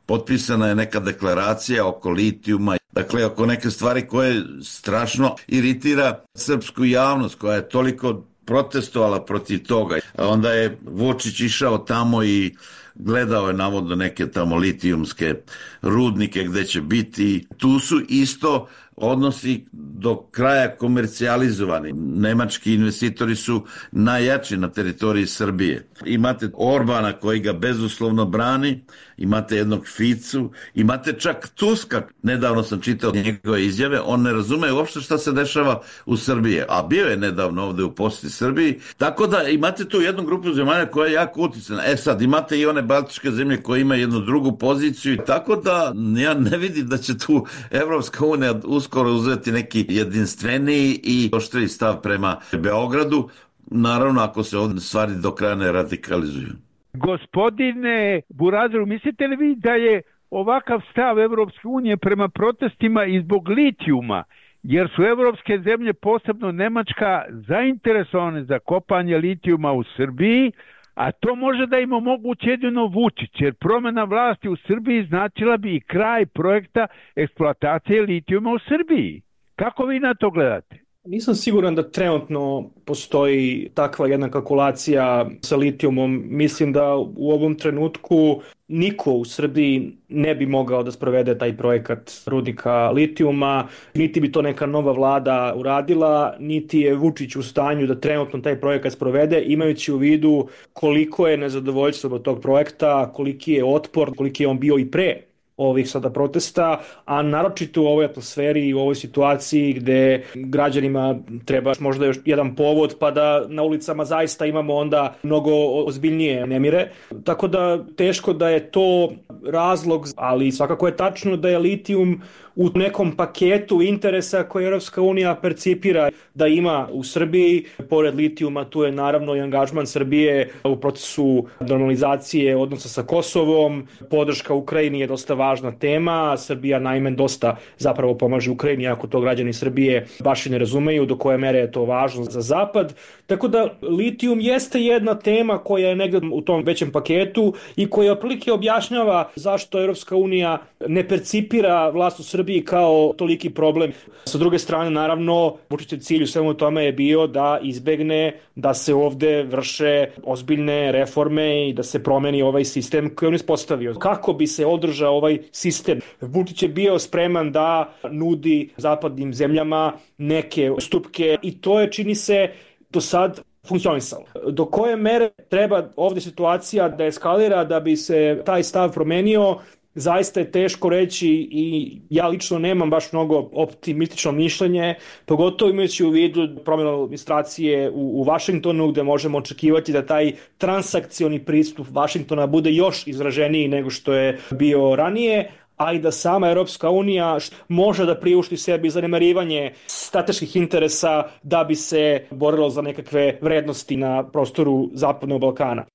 Potpisana je neka deklaracija oko litijuma, dakle oko neke stvari koje strašno iritira srpsku javnost koja je toliko protestovala protiv toga. Onda je Vučić išao tamo i gledao je navodno neke tamo litijumske rudnike gde će biti. Tu su isto odnosi do kraja komercijalizovani. Nemački investitori su najjači na teritoriji Srbije. Imate Orbana koji ga bezuslovno brani, imate jednog Ficu, imate čak Tuska. Nedavno sam čitao njegove izjave, on ne razume uopšte šta se dešava u Srbiji, a bio je nedavno ovde u poseti Srbiji. Tako da imate tu jednu grupu zemalja koja je jako uticana. Sad imate i one baltičke zemlje koje imaju jednu drugu poziciju, tako da ja ne vidim da će tu Evropska unija uskoro uzeti neki jedinstveniji i oštriji stav prema Beogradu, naravno ako se ovdje stvari do kraja ne radikalizuju. Gospodine Burazeru, mislite li vi da je ovakav stav Evropske unije prema protestima i zbog litijuma, jer su evropske zemlje, posebno Nemačka, zainteresovane za kopanje litijuma u Srbiji, a to može da im omogući jedino Vučić, jer promjena vlasti u Srbiji značila bi i kraj projekta eksploatacije litijuma u Srbiji. Kako vi na to gledate? Nisam siguran da trenutno postoji takva jedna kalkulacija sa litijumom. Mislim da u ovom trenutku niko u Srbiji ne bi mogao da sprovede taj projekat rudnika litijuma, niti bi to neka nova vlada uradila, niti je Vučić u stanju da trenutno taj projekat sprovede, imajući u vidu koliko je nezadovoljstvo od tog projekta, koliki je otpor, koliki je on bio i pre ovih sada protesta, a naročito u ovoj atmosferi i u ovoj situaciji gde građanima treba možda još jedan povod pa da na ulicama zaista imamo onda mnogo ozbiljnije nemire. Tako da teško da je to razlog, ali svakako je tačno da je litijum u nekom paketu interesa koje Europska unija percipira da ima u Srbiji. Pored litijuma tu je naravno i angažman Srbije u procesu normalizacije odnosa sa Kosovom. Podrška Ukrajini je dosta važna tema. Srbija naime dosta zapravo pomaže Ukrajini, ako to građani Srbije baš i ne razumeju do koje mere je to važno za Zapad. Tako da litijum jeste jedna tema koja je negdje u tom većem paketu i koja otprilike objašnjava zašto Europska unija ne percipira vlast u Srbiji kao toliki problem. Sa druge strane, naravno, Vučićev cilj u svemu tome je bio da izbegne da se ovde vrše ozbiljne reforme i da se promeni ovaj sistem koji on ispostavio. Kako bi se održao ovaj sistem? Vučić je bio spreman da nudi zapadnim zemljama neke ustupke i to je, čini se, do sad funkcionisalo. Do koje mere treba ovdje situacija da eskalira da bi se taj stav promenio, zaista je teško reći i ja lično nemam baš mnogo optimistično mišljenje, pogotovo imajući u vidu promjenu administracije u Vašingtonu, gde možemo očekivati da taj transakcioni pristup Vašingtona bude još izraženiji nego što je bio ranije, a i da sama Europska unija može da priušti sebi zanemarivanje strateških interesa da bi se borilo za nekakve vrednosti na prostoru Zapadnog Balkana.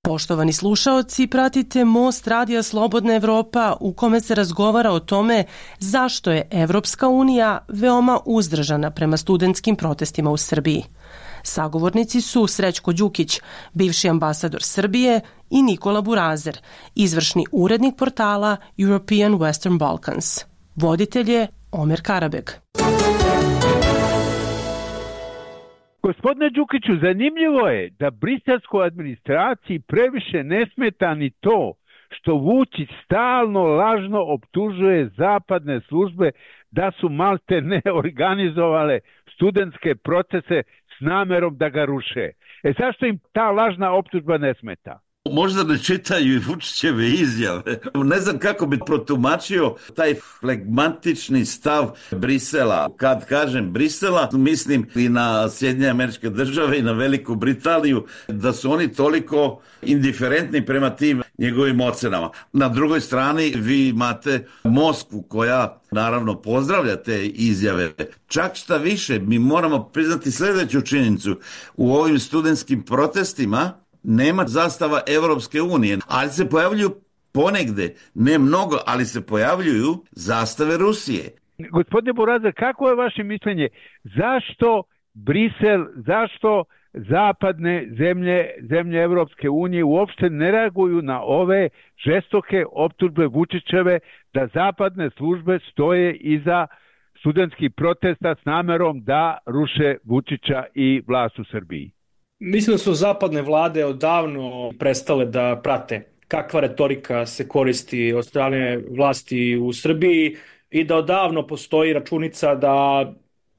Poštovani slušaoci, pratite Most Radija Slobodna Evropa u kome se razgovara o tome zašto je Evropska unija veoma uzdržana prema studentskim protestima u Srbiji. Sagovornici su Srećko Đukić, bivši ambasador Srbije, i Nikola Burazer, izvršni urednik portala European Western Balkans. Voditelj je Omer Karabeg. Gospodine Đukiću, zanimljivo je da briselskoj administraciji previše ne smeta ni to što Vučić stalno lažno optužuje zapadne službe da su malte ne organizovale studentske procese s namerom da ga ruše. Zašto im ta lažna optužba ne smeta? Možda ne čitaju i Vučićeve izjave. Ne znam kako bi protumačio taj flegmatični stav Brisela. Kad kažem Brisela, mislim i na Sjedinjene Američke Države i na Veliku Britaniju, da su oni toliko indiferentni prema tim njegovim ocenama. Na drugoj strani vi imate Moskvu koja naravno pozdravlja te izjave. Čak šta više, mi moramo priznati sljedeću činjenicu. U ovim studentskim protestima nema zastava Evropske unije, ali se pojavljuju ponegde, ne mnogo, ali se pojavljuju zastave Rusije. Gospodine Burazer, kako je vaše mišljenje? Zašto Brisel, zašto zapadne zemlje Evropske unije uopšte ne reaguju na ove žestoke optužbe Vučićeve da zapadne službe stoje iza studentskih protesta s namerom da ruše Vučića i vlast u Srbiji? Mislim da su zapadne vlade odavno prestale da prate kakva retorika se koristi od strane vlasti u Srbiji i da odavno postoji računica da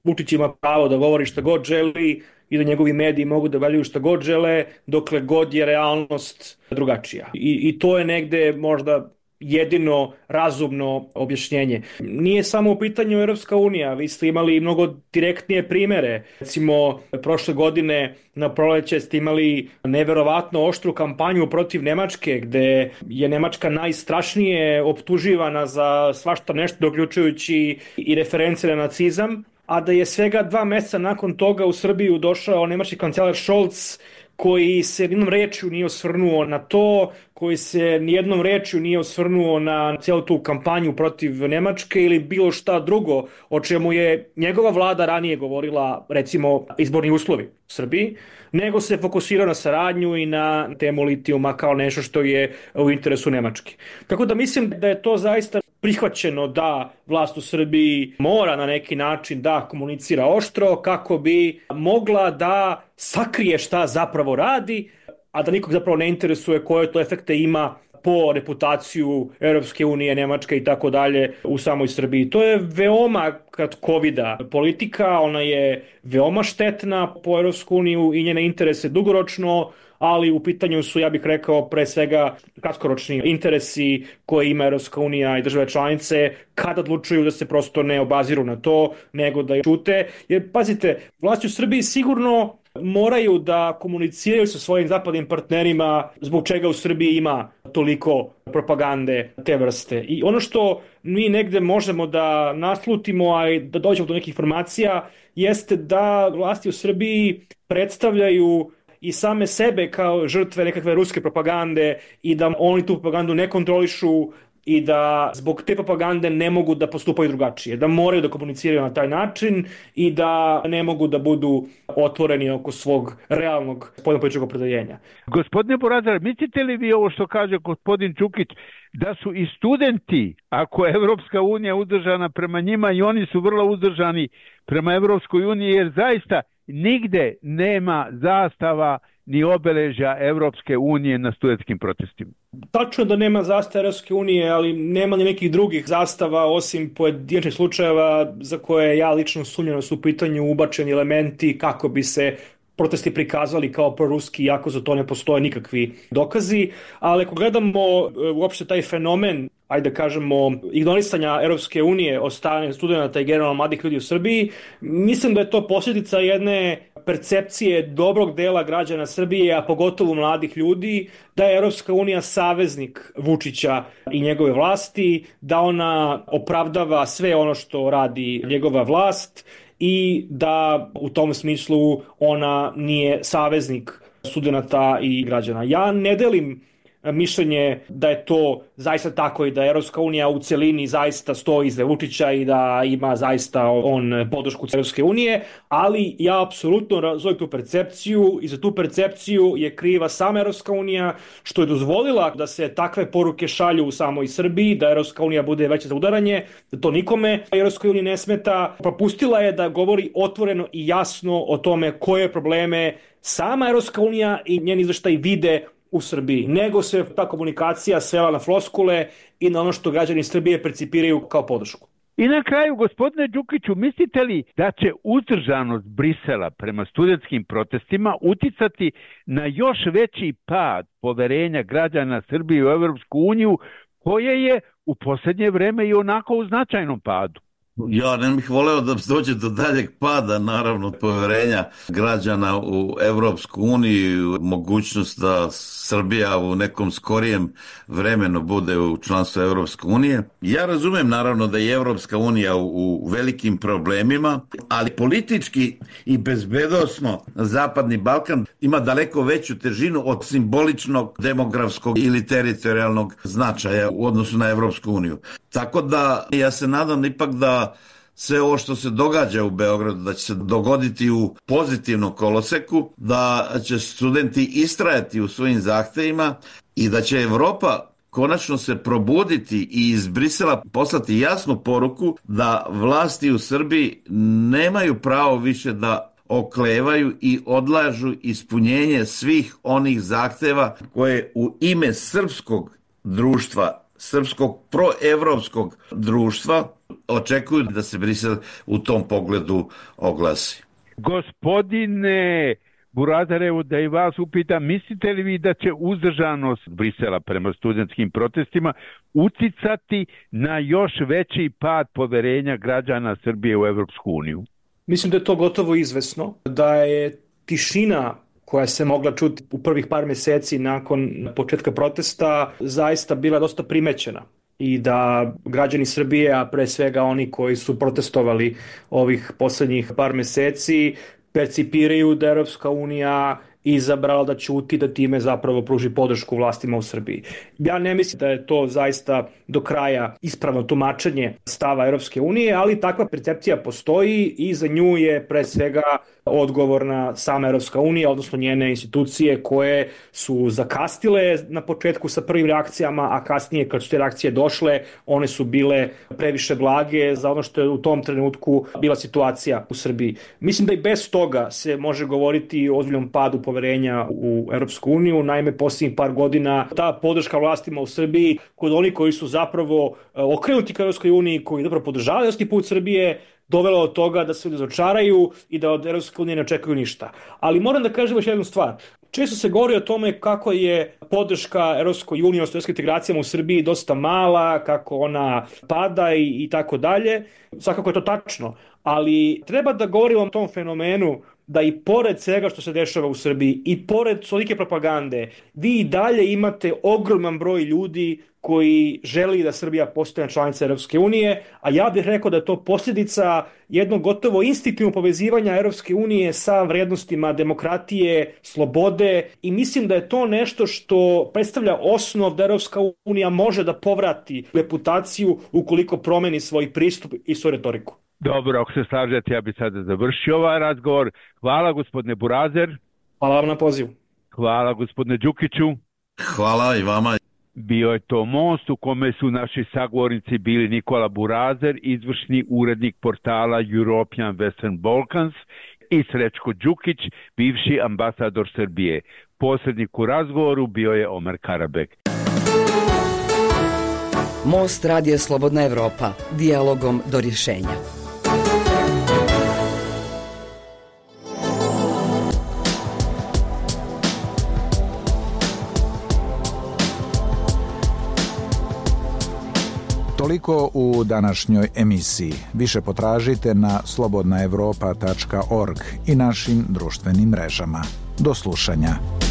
Vučić ima pravo da govori šta god želi i da njegovi mediji mogu da valjuju šta god žele dokle god je realnost drugačija. I to je negde možda jedino razumno objašnjenje. Nije samo u pitanju Europska unija, vi ste imali mnogo direktnije primere. Recimo, prošle godine na proleće ste imali neverovatno oštru kampanju protiv Nemačke, gde je Nemačka najstrašnije optuživana za svašta nešto, uključujući i reference na nacizam, a da je svega 2 meseca nakon toga u Srbiju došao nemački kancelar Scholz, koji se nijednom rečju nije osvrnuo na to, koji se nijednom rečju nije osvrnuo na cijelu tu kampanju protiv Nemačke ili bilo šta drugo o čemu je njegova vlada ranije govorila, recimo izborni uslovi u Srbiji, nego se fokusirao na saradnju i na temu litijuma kao nešto što je u interesu Nemačke. Tako da mislim da je to zaista prihvaćeno da vlast u Srbiji mora na neki način da komunicira oštro kako bi mogla da sakrije šta zapravo radi, a da nikog zapravo ne interesuje koje to efekte ima po reputaciju Europske unije, Nemačke i tako dalje u samoj Srbiji. To je veoma kratkovida politika, ona je veoma štetna po Europsku uniju i njene interese dugoročno, ali u pitanju su, ja bih rekao, pre svega kratkoročni interesi koje ima Europska unija i države članice kada odlučuju da se prosto ne obaziru na to, nego da ćute. Jer, pazite, vlast u Srbiji sigurno moraju da komuniciraju sa svojim zapadnim partnerima zbog čega u Srbiji ima toliko propagande te vrste. I ono što mi negde možemo da naslutimo, a i da dođemo do nekih informacija, jeste da vlasti u Srbiji predstavljaju i same sebe kao žrtve nekakve ruske propagande i da oni tu propagandu ne kontrolišu i da zbog te propagande ne mogu da postupaju drugačije, da moraju da komuniciraju na taj način i da ne mogu da budu otvoreni oko svog realnog spoljnopolitičkog opredeljenja. Gospodine Burazar, mislite li vi ovo što kaže gospodin Čukić, da su i studenti, ako je Evropska unija uzdržana prema njima, i oni su vrlo uzdržani prema Evropskoj uniji, jer zaista nigde nema zastava ni obeležja Evropske unije na studentskim protestima? Tačno da nema zastava Evropske unije, ali nema ni nekih drugih zastava osim pojedinačnih slučajeva za koje ja lično sumnjam da su u pitanju ubačeni elementi kako bi se protesti prikazali kao proruski, iako za to ne postoje nikakvi dokazi. Ali ako gledamo uopšte taj fenomen, ajde da kažemo, ignorisanja Evropske unije od strane studenta i generalno mladih ljudi u Srbiji, mislim da je to posljedica jedne percepcije dobrog dela građana Srbije, a pogotovo mladih ljudi, da je Evropska unija saveznik Vučića i njegove vlasti, da ona opravdava sve ono što radi njegova vlast i da u tom smislu ona nije saveznik studenata i građana. Ja ne delim mišljenje da je to zaista tako i da Evropska unija u celini zaista stoji iza Vučića i da ima zaista on podršku Evropske unije, ali ja apsolutno razumem tu percepciju i za tu percepciju je kriva sama Evropska unija što je dozvolila da se takve poruke šalju u samoj Srbiji, da Evropska unija bude veće za udaranje, da to nikome Evropskoj uniji ne smeta. Propustila je da govori otvoreno i jasno o tome koje probleme sama Evropska unija i njeni izveštaji vide u Srbiji, nego se ta komunikacija svela na floskule i na ono što građani Srbije percipiraju kao podršku. I na kraju, gospodine Đukiću, mislite li da će uzdržanost Brisela prema studentskim protestima uticati na još veći pad poverenja građana Srbije u Evropsku uniju, koje je u posljednje vreme i onako u značajnom padu? Ja ne bih voleo da dođe do daljeg pada, naravno, poverenja građana u Evropsku uniju, mogućnost da Srbija u nekom skorijem vremenu bude u članstvu Evropske unije. Ja razumem, naravno, da je Evropska unija u velikim problemima, ali politički i bezbednosno Zapadni Balkan ima daleko veću težinu od simboličnog, demografskog ili teritorijalnog značaja u odnosu na Evropsku uniju. Tako da ja se nadam ipak da sve ovo što se događa u Beogradu, da će se dogoditi u pozitivnom koloseku, da će studenti istrajati u svojim zahtevima i da će Evropa konačno se probuditi i iz Brisela poslati jasnu poruku da vlasti u Srbiji nemaju pravo više da oklevaju i odlažu ispunjenje svih onih zahteva koje u ime srpskog društva, srpskog proevropskog društva očekuju da se Brisel u tom pogledu oglasi. Gospodine Burazarevu, da i vas upitam, mislite li vi da će uzdržanost Brisela prema studentskim protestima uticati na još veći pad poverenja građana Srbije u Evropsku uniju? Mislim da je to gotovo izvesno, da je tišina koja se mogla čuti u prvih par meseci nakon početka protesta zaista bila dosta primećena i da građani Srbije, a pre svega oni koji su protestovali ovih poslednjih par meseci, percipiraju da Evropska unija izabrala da ćuti, da time zapravo pruži podršku vlastima u Srbiji. Ja ne mislim da je to zaista do kraja ispravno tumačenje stava Evropske unije, ali takva percepcija postoji i za nju je pre svega odgovorna sama Evropska unija, odnosno njene institucije koje su zakastile na početku sa prvim reakcijama, a kasnije kad su te reakcije došle, one su bile previše blage za ono što je u tom trenutku bila situacija u Srbiji. Mislim da i bez toga se može govoriti o ozbiljnom padu poverenja u Evropsku uniju. Naime, posljednjih par godina ta podrška vlastima u Srbiji kod onih koji su zapravo okrenuti ka Evropskoj uniji, koji zapravo podržavaju evropski put Srbije, dovelo od toga da se ljudi razočaraju i da od Evropske unije ne očekuju ništa. Ali moram da kažem još jednu stvar. Često se govori o tome kako je podrška Evropskoj uniji, odnosno evropskim integracijama u Srbiji dosta mala, kako ona pada i tako dalje. Svakako je to tačno, ali treba da govorimo o tom fenomenu da i pored svega što se dešava u Srbiji i pored tolike propagande, vi i dalje imate ogroman broj ljudi koji želi da Srbija postane članica Europske unije, a ja bih rekao da je to posljedica jednog gotovo instinktivnog povezivanja Europske unije sa vrednostima demokratije, slobode, i mislim da je to nešto što predstavlja osnov da Europska unija može da povrati reputaciju ukoliko promeni svoj pristup i svoju retoriku. Dobro, ako se slažete, ja bih sada završio ovaj razgovor. Hvala gospodine Burazer. Hvala vam na pozivu. Hvala gospodine Đukiću. Hvala i vama. Bio je to Most u kome su naši sagovornici bili Nikola Burazer, izvršni urednik portala European Western Balkans, i Srećko Đukić, bivši ambasador Srbije. Posrednik u razgovoru bio je Omer Karabek. Most radija Slobodna Evropa, dijalogom do rješenja. Toliko u današnjoj emisiji. Više potražite na slobodnaevropa.org i našim društvenim mrežama. Do slušanja.